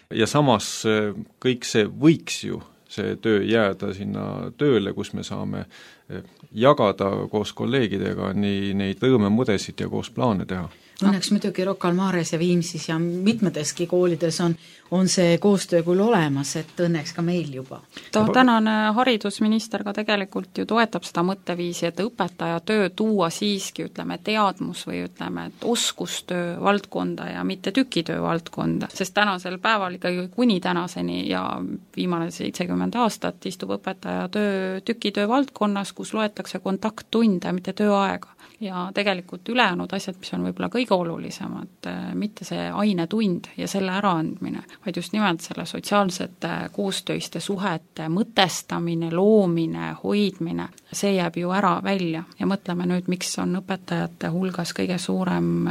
Ja samas kõik see võiks ju see töö jääda sinna tööle, kus me saame jagada koos kolleegidega nii neid rõõmemudesid ja koos plaane teha. Õnneks muidugi Rocca al Mares ja Viimsis ja mitmeteski koolides on see koostöö küll olemas, et õnneks ka meil juba. Tänane haridusminister ka tegelikult ju toetab seda mõtteviisi, et õpetaja töö tuua siiski, ütleme, teadmus või ütleme, et oskustöö valdkonda ja mitte tükitöö valdkonda, sest tänasel päeval ikkagi kuni tänaseni ja viimane 70 aastat istub õpetaja töö tükitöö valdkonnas, kus loetakse kontakttunde, mitte tööaega. Ja tegelikult ülejäänud asjad, mis on võib-olla kõige olulisemad, mitte see ainetund ja selle äraandmine, vaid just nimelt selle sotsiaalsete koostöiste suhete mõtestamine, loomine, hoidmine, see jääb ju ära välja ja mõtleme nüüd, miks on õpetajate hulgas kõige suurem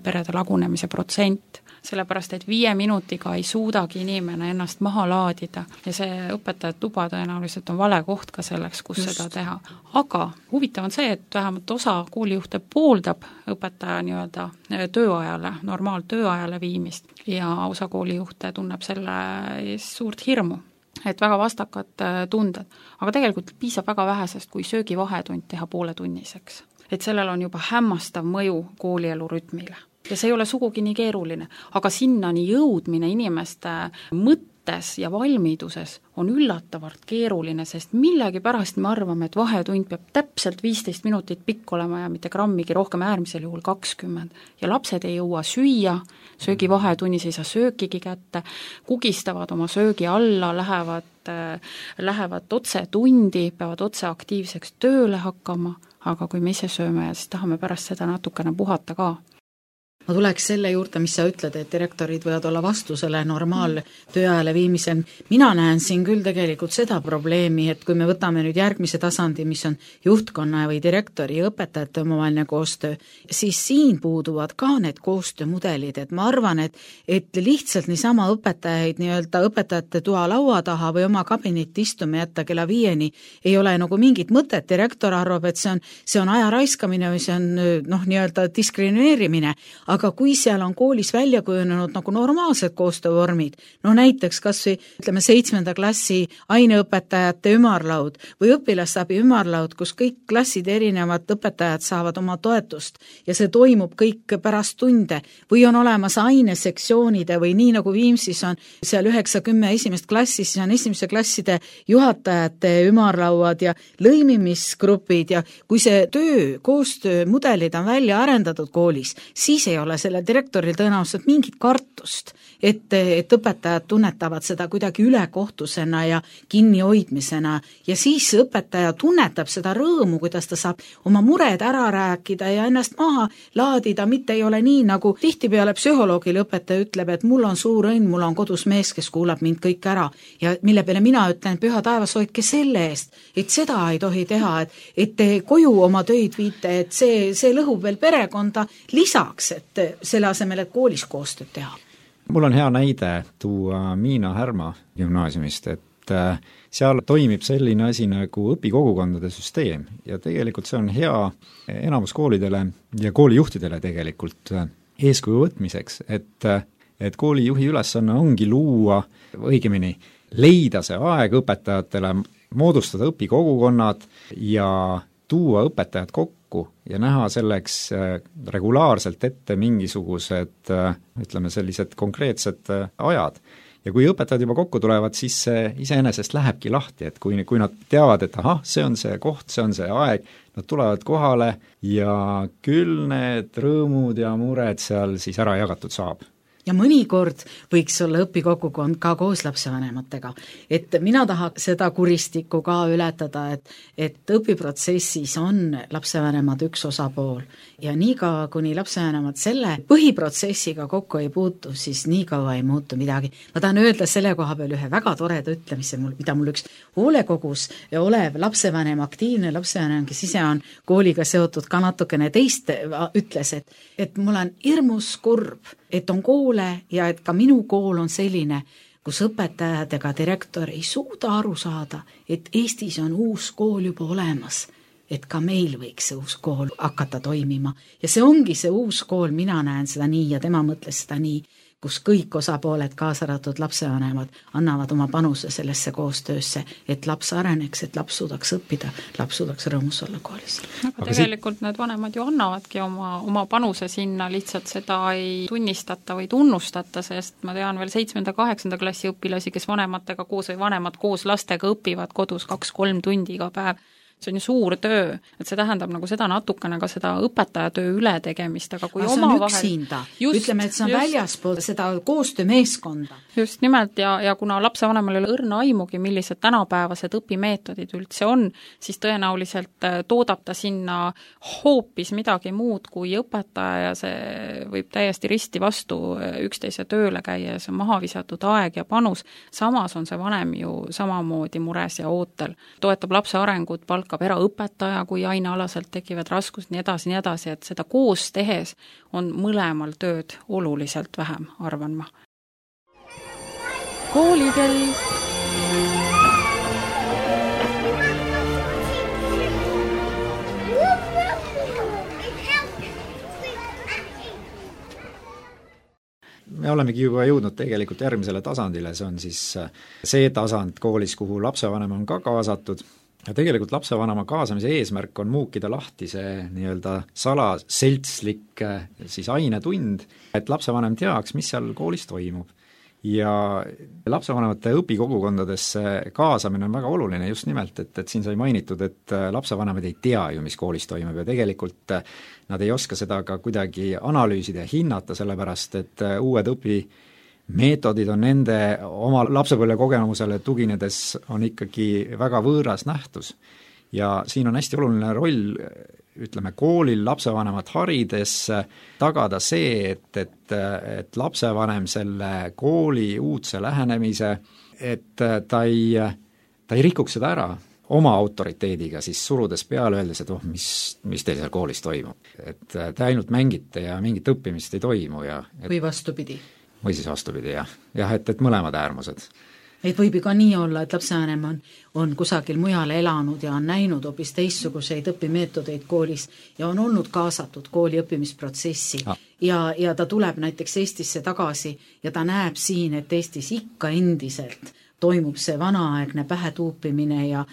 perede lagunemise protsent, sellepärast et 5 minutiga ei suudagi inimene ennast maha laadida ja see õpetajate tuba tõenäoliselt on vale koht ka selleks, kus seda teha. Aga huvitav on see, et vähemalt osa koolijuhte pooldab õpetaja nii-öelda tööajale, normaaltööajale viimist ja osa koolijuhte tunneb selle suurt hirmu, et väga vastakad tunded. Aga tegelikult piisab väga vähesest, kui söögivahetund teha pooletunniseks. Et sellel on juba hämmastav mõju koolielu rütmile. Ja see ei ole sugugi nii keeruline, aga sinnani jõudmine inimeste mõttes ja valmiduses on üllatavalt keeruline, sest millegipärast me arvame, et vahetund peab täpselt 15 minutit pikk olema ja mitte grammigi rohkem, äärmisel juhul 20. Ja lapsed ei jõua süüa, söögivahetunnis ei saa söökigi kätte, kugistavad oma söögi alla, lähevad otse tundi, peavad otse aktiivseks tööle hakkama, aga kui me ise sööme ja siis tahame pärast seda natukene puhata ka. Ma tuleks selle juurde, mis sa ütled, et direktorid võivad olla vastu selle normaaltööajale viimisel. Mina näen siin küll tegelikult seda probleemi, et kui me võtame nüüd järgmise tasandi, mis on juhtkonna või direktori ja õpetajate omavaheline koostöö, siis siin puuduvad ka need koostöömudelid, et ma arvan, et lihtsalt niisama õpetajaid nii-öelda õpetajate toa laua taha või oma kabinetti istuma jätta kella 5 ei ole nagu mingit mõtet. Direktor arvab, et see on aja raiskamine või see on nii-öelda diskrimineerimine. Aga kui seal on koolis välja kujunenud nagu normaalsed koostöövormid, näiteks kas või ütleme 7. klassi aineõpetajate ümarlaud või õpilasabi ümarlaud, kus kõik klassid erinevad õpetajad saavad oma toetust ja see toimub kõik pärast tunde või on olemas ainesektsioonide või nii nagu Viimsis on seal 9-10 esimest klassi, siis on esimese klasside juhatajate ümarlauad ja lõimimisgrupid ja kui see koostöömudelid on välja arendatud koolis, siis ei ole selle direktoril tõenäoliselt mingit kartust, et õpetajad tunnetavad seda kuidagi ülekohtusena ja kinnihoidmisena ja siis õpetaja tunnetab seda rõõmu, kuidas ta saab oma mured ära rääkida ja ennast maha laadida, mitte ei ole nii, nagu tihtipeale psühholoogile õpetaja ütleb, et mul on suur õnn, mul on kodus mees, kes kuulab mind kõik ära ja mille peale mina ütlen, püha taevas, hoidke selle eest, et seda ei tohi teha, et te koju oma töid viite, et see lõhub veel perekonda lisaks, et selle asemel, et koolis koostööd teha. Mul on hea näide tuua Miina Härma gümnaasiumist, et seal toimib selline asi nagu õpikogukondade süsteem ja tegelikult see on hea enamus koolidele ja koolijuhtidele tegelikult eeskuju võtmiseks, et koolijuhi ülesanne ongi luua, õigemini leida see aeg õpetajatele, moodustada õpikogukonnad ja tuua õpetajad kokku ja näha selleks regulaarselt ette mingisugused, ütleme sellised konkreetsed ajad. Ja kui õpetajad juba kokku tulevad, siis see iseenesest lähebki lahti, et kui nad teavad, et see on see koht, see on see aeg, nad tulevad kohale ja küll need rõõmud ja mured seal siis ära jagatud saab. Ja mõnikord võiks olla õpikogukond ka koos lapsevanematega. Et mina tahaks seda kuristikku ka ületada, et õpiprotsessis on lapsevanemad üks osapool ja niikaua, kuni lapsevanemad selle põhiprotsessiga kokku ei puutu, siis niikaua ei muutu midagi. Ma tahan öelda selle koha peal ühe väga toreda ütlemise, mida mul üks hoolekogus olev lapsevanem, aktiivne lapsevanem, kes ise on kooliga seotud ka natukene teist, ütles, et mul on hirmus kurb, et on koole ja et ka minu kool on selline, kus õpetajad ega direktor ei suuda aru saada, et Eestis on uus kool juba olemas, et ka meil võiks see uus kool hakata toimima. Ja see ongi see uus kool, mina näen seda nii ja tema mõtles seda nii, kus kõik osapooled, kaasa arvatud lapsevanemad, annavad oma panuse sellesse koostöösse, et laps areneks, et laps suudaks õppida, laps suudaks rõõmus olla koolis. Aga tegelikult need vanemad ju annavadki oma panuse sinna, lihtsalt seda ei tunnistata või tunnustata, sest ma tean veel 7.-8. klassi õpilasi, kes vanematega koos või vanemad koos lastega õpivad kodus 2-3 tundi iga päev. See on ju suur töö, et see tähendab nagu seda natukene ka seda õpetajatöö ületegemist, aga kui see on üksinda, ütleme, et see on väljaspool seda koostöömeeskonda. Just nimelt ja kuna lapsevanemal ei ole õrna aimugi, millised tänapäevased õpimeetodid üldse on, siis tõenäoliselt toodab ta sinna hoopis midagi muud kui õpetaja ja see võib täiesti risti vastu üksteise tööle käia ja see on maha visatud aeg ja panus. Samas on see vanem ju samamoodi mures ja ootel, toetab lapse arengut, palkab jätkab eraõpetaja, kui ainealaselt tekivad raskused, nii edasi, et seda koos tehes on mõlemal tööd oluliselt vähem, arvan ma. Koolikell. Me olemegi juba jõudnud tegelikult järgmisele tasandile, see on siis see tasand koolis, kuhu lapsevanem on ka kaasatud. Ja tegelikult lapsevanema kaasamise eesmärk on muukida lahti see nii-öelda salaseltslik siis ainetund, et lapsevanem teaks, mis seal koolis toimub. Ja lapsevanemate õpikogukondadesse kaasamine on väga oluline just nimelt, et siin sai mainitud, et lapsevanemad ei tea ju, mis koolis toimub ja tegelikult nad ei oska seda ka kuidagi analüüsida ja hinnata, sellepärast et uued õpimeetodid on nende oma lapsepõlve kogemusele tuginedes on ikkagi väga võõras nähtus. Ja siin on hästi oluline roll, ütleme, koolil lapsevanemat harides tagada see, et lapsevanem selle kooli uudse lähenemise, et ta ei rikuks seda ära oma autoriteediga, siis surudes peale öeldes, et mis teil seal koolis toimub. Et te ainult mängite ja mingit õppimist ei toimu. Või vastupidi. Või siis vastupidi, jah. Et mõlemad äärmused. Et võib ju ka nii olla, et lapsevanem on kusagil mujal elanud ja on näinud hoopis teistsuguseid õpimeetodeid koolis ja on olnud kaasatud kooli õppimisprotsessi ja ta tuleb näiteks Eestisse tagasi ja ta näeb siin, et Eestis ikka endiselt toimub see vanaaegne pähetuupimine ja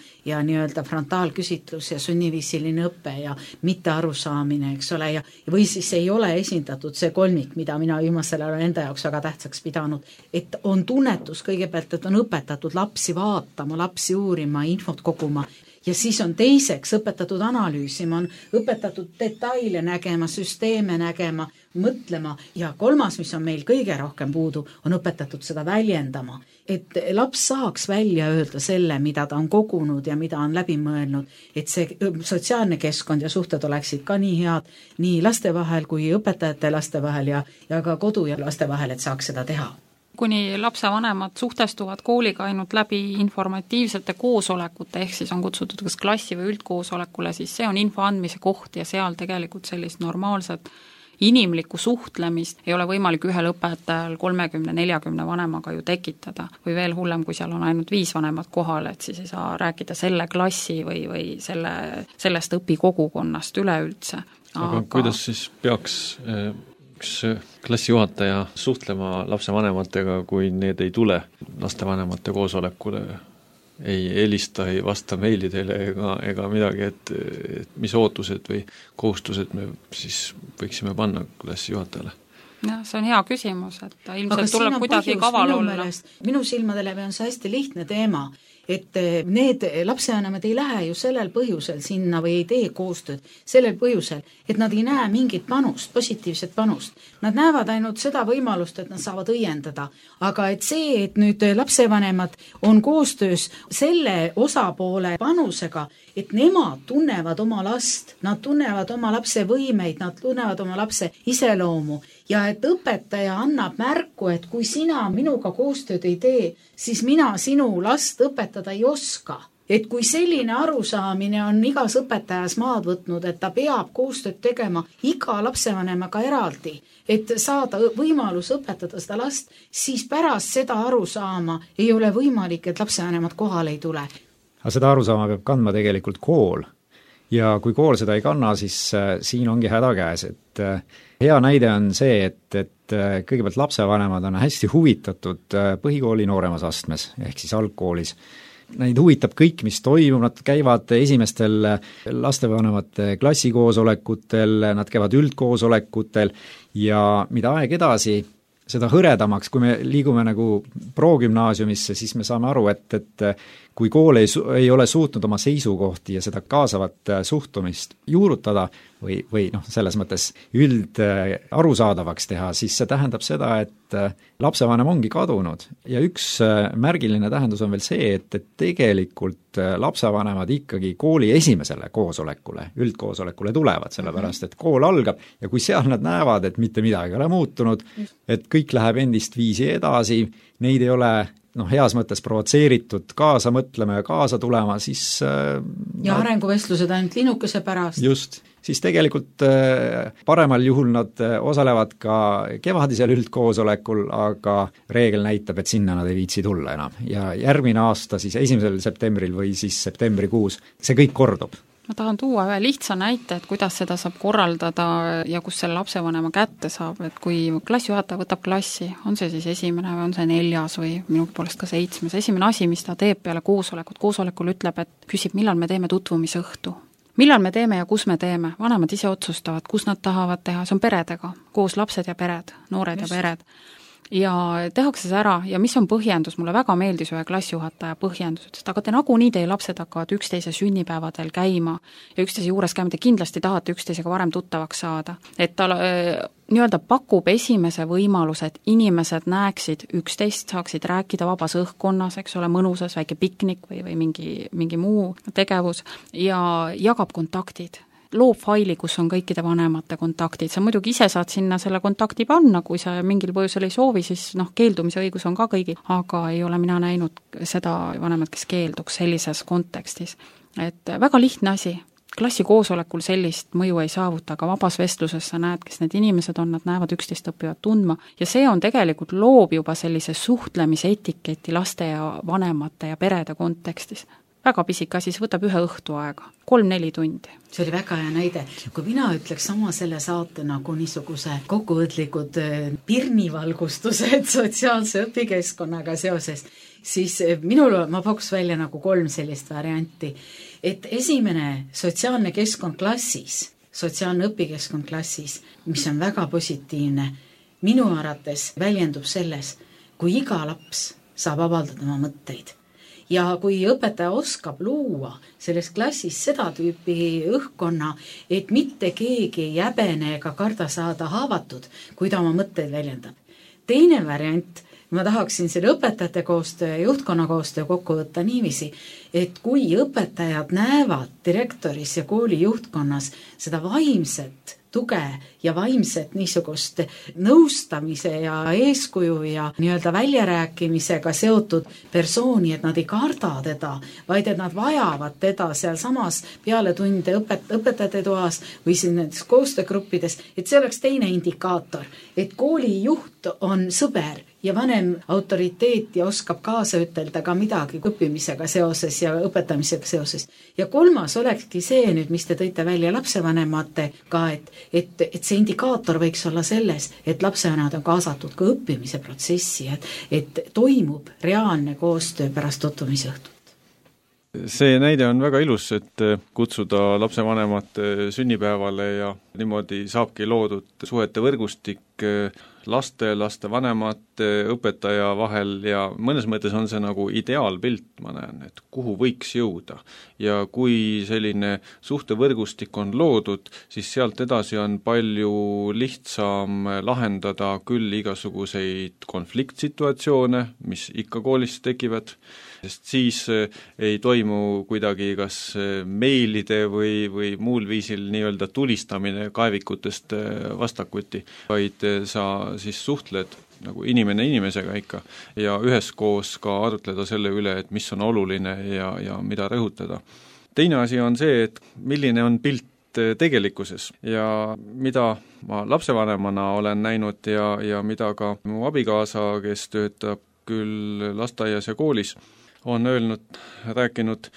nii-öelda frontaalküsitlus ja sunniviisiline õpe ja mitte arusaamine, eks ole, ja või siis ei ole esindatud see kolmik, mida mina viimasel ajal enda jaoks väga tähtsaks pidanud, et on tunnetus kõigepealt, et on õpetatud lapsi vaatama, lapsi uurima, infot koguma, ja siis on teiseks õpetatud analüüsima, on õpetatud detaile nägema, süsteeme nägema, mõtlema ja kolmas, mis on meil kõige rohkem puudu, on õpetatud seda väljendama. Et laps saaks välja öelda selle, mida ta on kogunud ja mida on läbi mõelnud, et see sotsiaalne keskkond ja suhted oleksid ka nii head nii laste vahel kui õpetajate laste vahel ja ka kodu ja laste vahel, et saaks seda teha. Kuni lapsevanemad suhtestuvad kooliga ainult läbi informatiivsete koosolekute, ehk siis on kutsutud kas klassi või üldkoosolekule, siis see on info andmise koht ja seal tegelikult sellist normaalset inimlikku suhtlemist ei ole võimalik ühel õpetajal 30-40 vanemaga ju tekitada või veel hullem, kui seal on ainult 5 vanemat kohal, et siis ei saa rääkida selle klassi või sellest õpikogukonnast üleüldse. Aga kuidas siis peaks üks klassijuhataja suhtlema lapsevanematega, kui need ei tule lastevanemate koosolekule, ei helista, ei vasta meilidele ega midagi, et mis ootused või kohustused me siis võiksime panna klassijuhatajale? Ja, see on hea küsimus, et ilmselt tuleb kuidagi kaval olla. Minu silmade läbi on see hästi lihtne teema, et need lapsevanemad ei lähe ju sellel põhjusel sinna või ei tee koostööd sellel põhjusel, et nad ei näe mingit panust, positiivset panust. Nad näevad ainult seda võimalust, et nad saavad õiendada. Aga et see, et nüüd lapsevanemad on koostöös selle osapoole panusega, et nemad tunnevad oma last, nad tunnevad oma lapse võimeid, nad tunnevad oma lapse iseloomu ja et õpetaja annab märku, et kui sina minuga koostööd ei tee, siis mina sinu last õpetada ei oska. Et kui selline arusaamine on igas õpetajas maad võtnud, et ta peab koostööd tegema iga lapsevanemaga eraldi, et saada võimalus õpetada seda last, siis pärast seda arusaama ei ole võimalik, et lapsevanemad kohale ei tule. Aga seda arusaama peab kandma tegelikult kool. Ja kui kool seda ei kanna, siis siin ongi häda käes, et hea näide on see, et kõigepealt lapsevanemad on hästi huvitatud põhikooli nooremas astmes, ehk siis algkoolis. Neid huvitab kõik, mis toimub, nad käivad esimestel lastevanemate klassikoosolekutel, nad käivad üldkoosolekutel ja mida aeg edasi, seda hõredamaks, kui me liigume nagu progümnaasiumisse, siis me saame aru, et kui kool ei ole suutnud oma seisukohti ja seda kaasavat suhtumist juurutada või selles mõttes arusaadavaks teha, siis see tähendab seda, et lapsevanem ongi kadunud ja üks märgiline tähendus on veel see, et tegelikult lapsevanemad ikkagi kooli esimesele koosolekule, üldkoosolekule tulevad, sellepärast et kool algab ja kui seal nad näevad, et mitte midagi ei ole muutunud, et kõik läheb endist viisi edasi, neid ei ole heas mõttes provotseeritud kaasa mõtlema ja kaasa tulema, siis ja arenguvestlused ainult linnukese pärast. Just, siis tegelikult paremal juhul nad osalevad ka kevadisel üldkoosolekul, aga reegel näitab, et sinna nad ei viitsi tulla enam. Ja järgmine aasta siis 1. septembril või siis septembrikuus see kõik kordub. Ma tahan tuua ühe lihtsa näite, et kuidas seda saab korraldada ja kus selle lapsevanema kätte saab, et kui klassijuhataja võtab klassi, on see siis 1. või on see 4. või minu poolest ka 7. Esimene asi, mis ta teeb peale koosolekul ütleb, et küsib, millal me teeme tutvumisõhtu. Millal me teeme ja kus me teeme? Vanemad ise otsustavad, kus nad tahavad teha, see on peredega, koos lapsed ja pered, noored ja pered. Ja tehakse see ära ja mis on põhjendus, mulle väga meeldis ühe klassijuhataja põhjendus, et aga te nagunii teie lapsed hakkavad üksteise sünnipäevadel käima ja üksteise juures käima, te kindlasti tahate üksteisega varem tuttavaks saada. Et ta nii-öelda pakub esimese võimaluse, et inimesed näeksid üksteist, saaksid rääkida vabas õhkkonnas, eks ole, mõnusas väike piknik või mingi muu tegevus ja jagab kontaktid. Loob faili, kus on kõikide vanemate kontaktid, sa muidugi ise saad sinna selle kontakti panna, kui sa mingil põhjusel ei soovi, siis keeldumise õigus on ka kõigil, aga ei ole mina näinud seda vanemat, kes keelduks sellises kontekstis. Et väga lihtne asi, klassi koosolekul sellist mõju ei saavuta, aga vabas vestluses sa näed, kes need inimesed on, nad näevad üksteist, õpivad tundma ja see on tegelikult loob juba sellise suhtlemise etiketi laste ja vanemate ja perede kontekstis. Väga pisik asi, see võtab ühe õhtu aega, 3-4 tundi. See oli väga hea näide. Kui mina ütleks sama selle saate nagu niisuguse kokkuvõtlikud pirnivalgustused sotsiaalse õpikeskkonnaga seoses, siis ma pakuks välja nagu 3 sellist varianti. Et esimene sotsiaalne keskkond klassis, sotsiaalne õpikeskkond klassis, mis on väga positiivne, minu arvates väljendub selles, kui iga laps saab avaldada oma mõtteid. Ja kui õpetaja oskab luua selles klassis seda tüüpi õhkkonna, et mitte keegi ei jäbene ega karda saada haavatud, kui ta oma mõtteid väljendab. Teine variant, ma tahaksin selle õpetajate koostöö ja juhtkonna koostöö kokku võtta niiviisi, et kui õpetajad näevad direktoris ja kooli juhtkonnas seda vaimset tuge ja vaimset niisugust nõustamise ja eeskuju ja nii-öelda väljarääkimisega seotud persooni, et nad ei karda teda, vaid et nad vajavad teda seal samas peale tunde õpetajate toas või siin nendes koostöögruppides, et see oleks teine indikaator, et kooli juht on sõber ja vanem autoriteet ja oskab kaasa ütelda ka midagi õppimisega seoses ja õpetamisega seoses. Ja 3. olekski see nüüd, mis te tõite välja lapsevanematega, et see indikaator võiks olla selles, et lapsevanemad on kaasatud ka õppimise protsessi, et toimub reaalne koostöö pärast tutvumisõhtut. See näide on väga ilus, et kutsuda lapsevanemate sünnipäevale ja niimoodi saabki loodud suhete võrgustik laste vanemate, õpetaja vahel ja mõnes mõttes on see nagu ideaalpilt, ma näen, et kuhu võiks jõuda. Ja kui selline suhtevõrgustik on loodud, siis sealt edasi on palju lihtsam lahendada küll igasuguseid konfliktsituatsioone, mis ikka koolis tekivad, sest siis ei toimu kuidagi kas meilide või muul viisil nii-öelda tulistamine kaevikutest vastakuti, vaid sa siis suhtled nagu inimene inimesega ikka ja üheskoos ka arutleda selle üle, et mis on oluline ja mida rõhutada. Teine asi on see, et milline on pilt tegelikkuses ja mida ma lapsevanemana olen näinud ja mida ka mu abikaasa, kes töötab küll lasteaias ja koolis, on rääkinud,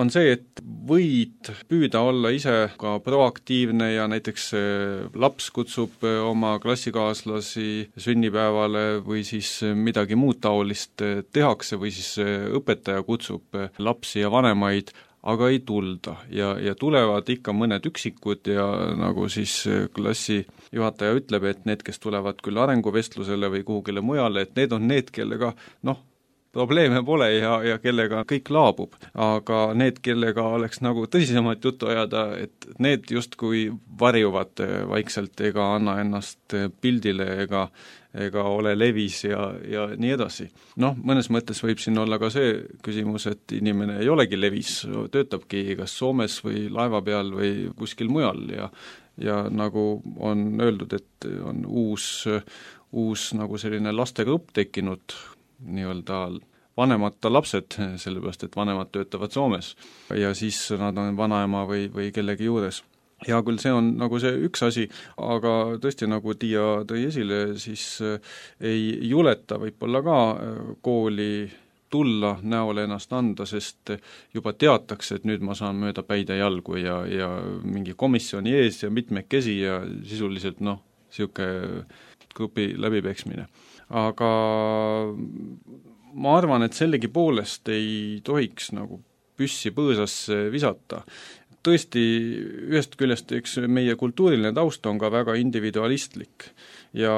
on see, et võid püüda olla ise ka proaktiivne ja näiteks laps kutsub oma klassikaaslasi sünnipäevale või siis midagi muud taolist tehakse või siis õpetaja kutsub lapsi ja vanemaid, aga ei tulda ja tulevad ikka mõned üksikud ja nagu siis klassijuhataja ütleb, et need, kes tulevad küll arenguvestlusele või kuhugile mujale, et need on need, kellega probleeme pole ja kellega kõik laabub, aga need, kellega oleks nagu tõsisemat juttu ajada, et need justkui varjuvad vaikselt ega anna ennast pildile ega ole levis ja nii edasi. Mõnes mõttes võib siin olla ka see küsimus, et inimene ei olegi levis, töötabki kas Soomes või laeva peal või kuskil mujal ja nagu on öeldud, et on uus nagu selline lastegrupp tekkinud, nii-öelda vanemata lapsed, sellepärast et vanemad töötavad Soomes ja siis nad on vanaema või kellegi juures. Hea küll, see on nagu see üks asi, aga tõesti, nagu Tiia tõi esile, siis ei juleta võib-olla ka kooli tulla, näole ennast anda, sest juba teatakse, et nüüd ma saan mööda päid ja jalgu ja mingi komisjoni ees ja mitmekesi ja sisuliselt niisugune grupi läbipeksmine. Aga ma arvan, et sellegipoolest ei tohiks nagu püssi põõsasse visata. Tõesti, ühest küljest üks meie kultuuriline taust on ka väga individualistlik ja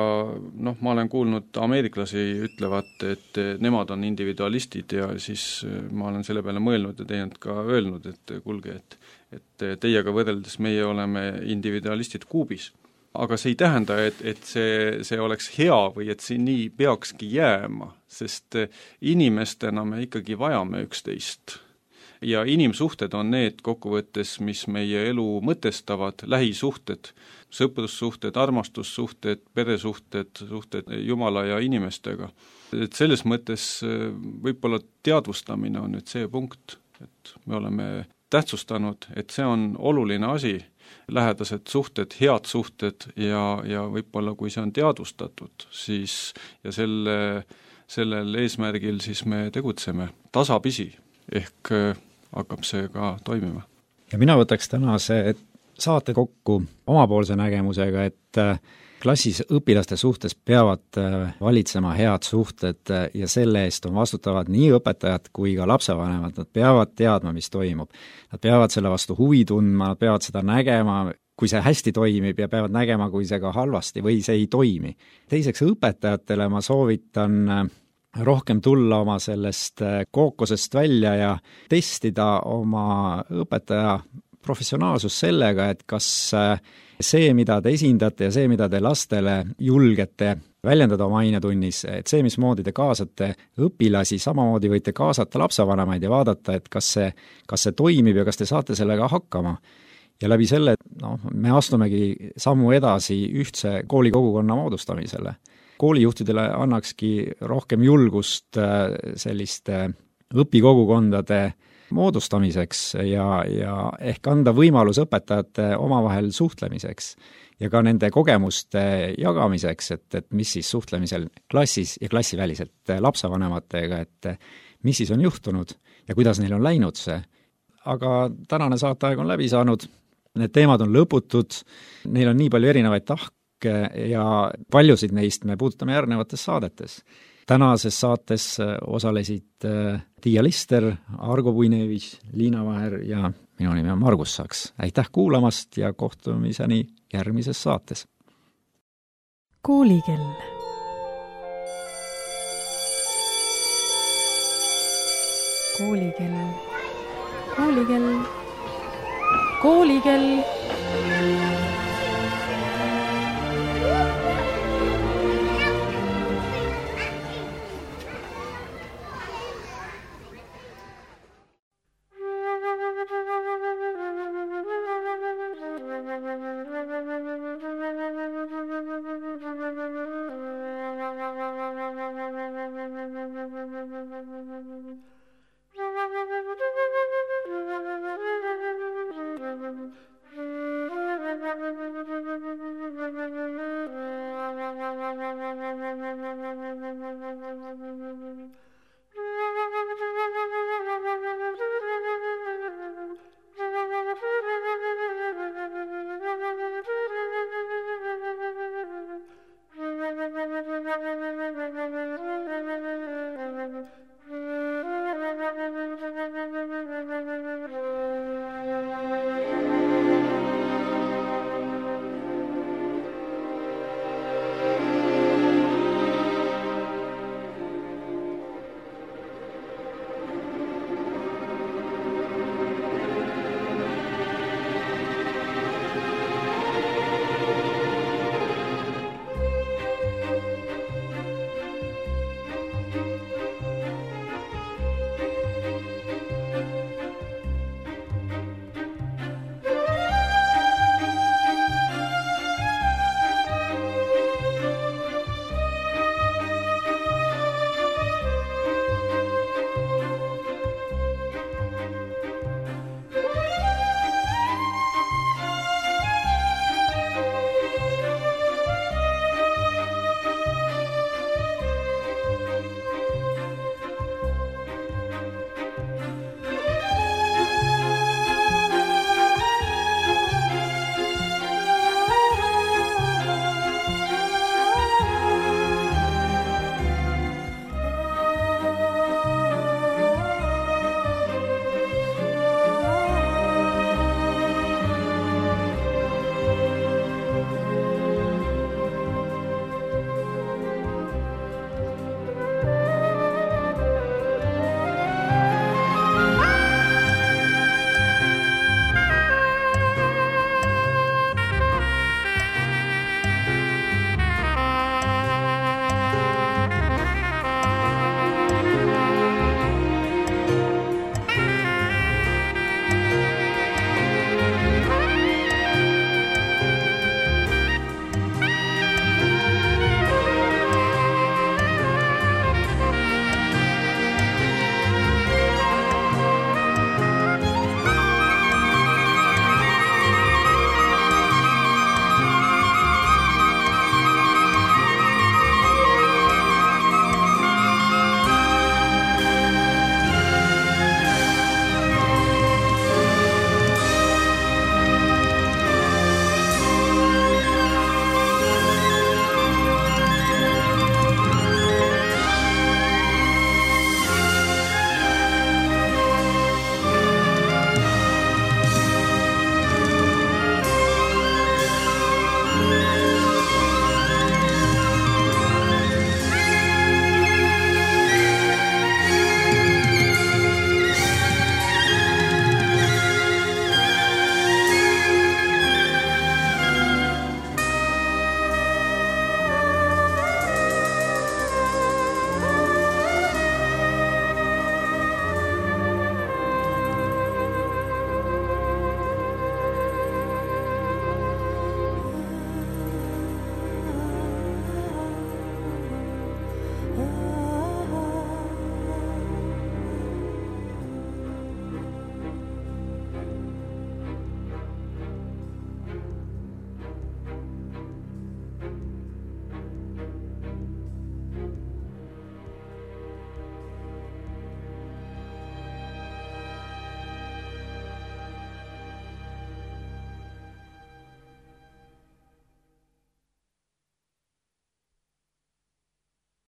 ma olen kuulnud ameeriklasi ütlevat, et nemad on individualistid ja siis ma olen selle peale mõelnud ja teinud ka öelnud, et kuulge, et teiega võrreldes meie oleme individualistid kuubis. Aga see ei tähenda, et see oleks hea või et see nii peakski jääma, sest inimestena me ikkagi vajame üksteist. Ja inimsuhted on need kokkuvõttes, mis meie elu mõtestavad, lähisuhted, sõprussuhted, armastussuhted, peresuhted, suhted Jumala ja inimestega. Et selles mõttes võib-olla teadvustamine on nüüd see punkt, et me oleme tähtsustanud, et see on oluline asi, lähedased suhted, head suhted ja võib-olla kui see on teadvustatud, siis ja sellel eesmärgil siis me tegutseme tasapisi, ehk hakkab see ka toimima. Ja mina võtaks tänase saate kokku omapoolse nägemusega, et klassis õpilaste suhtes peavad valitsema head suhted ja selle eest on vastutavad nii õpetajad kui ka lapsevanemad, nad peavad teadma, mis toimub. Nad peavad selle vastu huvi tundma, nad peavad seda nägema, kui see hästi toimib ja peavad nägema, kui see ka halvasti või see ei toimi. Teiseks õpetajatele ma soovitan rohkem tulla oma sellest kookosest välja ja testida oma õpetaja professionaalsus sellega, et kas see, mida te esindate ja see, mida te lastele julgete väljendada oma ainetunnis, et see, mismoodi te kaasate õpilasi, samamoodi võite kaasata lapsevanemaid ja vaadata, et kas see toimib ja kas te saate sellega hakkama. Ja läbi selle me astumegi sammu edasi ühtse koolikogukonna moodustamisele. Koolijuhtidele annakski rohkem julgust selliste õpikogukondade moodustamiseks ja ehk anda võimalus õpetajate omavahel suhtlemiseks ja ka nende kogemuste jagamiseks, et mis siis suhtlemisel klassis ja klassiväliselt lapsevanematega, et mis siis on juhtunud ja kuidas neil on läinud see. Aga tänane saateaeg on läbi saanud, need teemad on lõputud, neil on nii palju erinevaid tahke, ja paljusid neist me puudutame järgnevates saadetes. Tänases saates osalesid Tiia Lister, Argo Puinevich, Liina Vaher ja minu nimi on Margus Saks. Aitäh kuulamast ja kohtumiseni järgmises saates. Koolikell. Koolikell. Koolikell. Koolikell.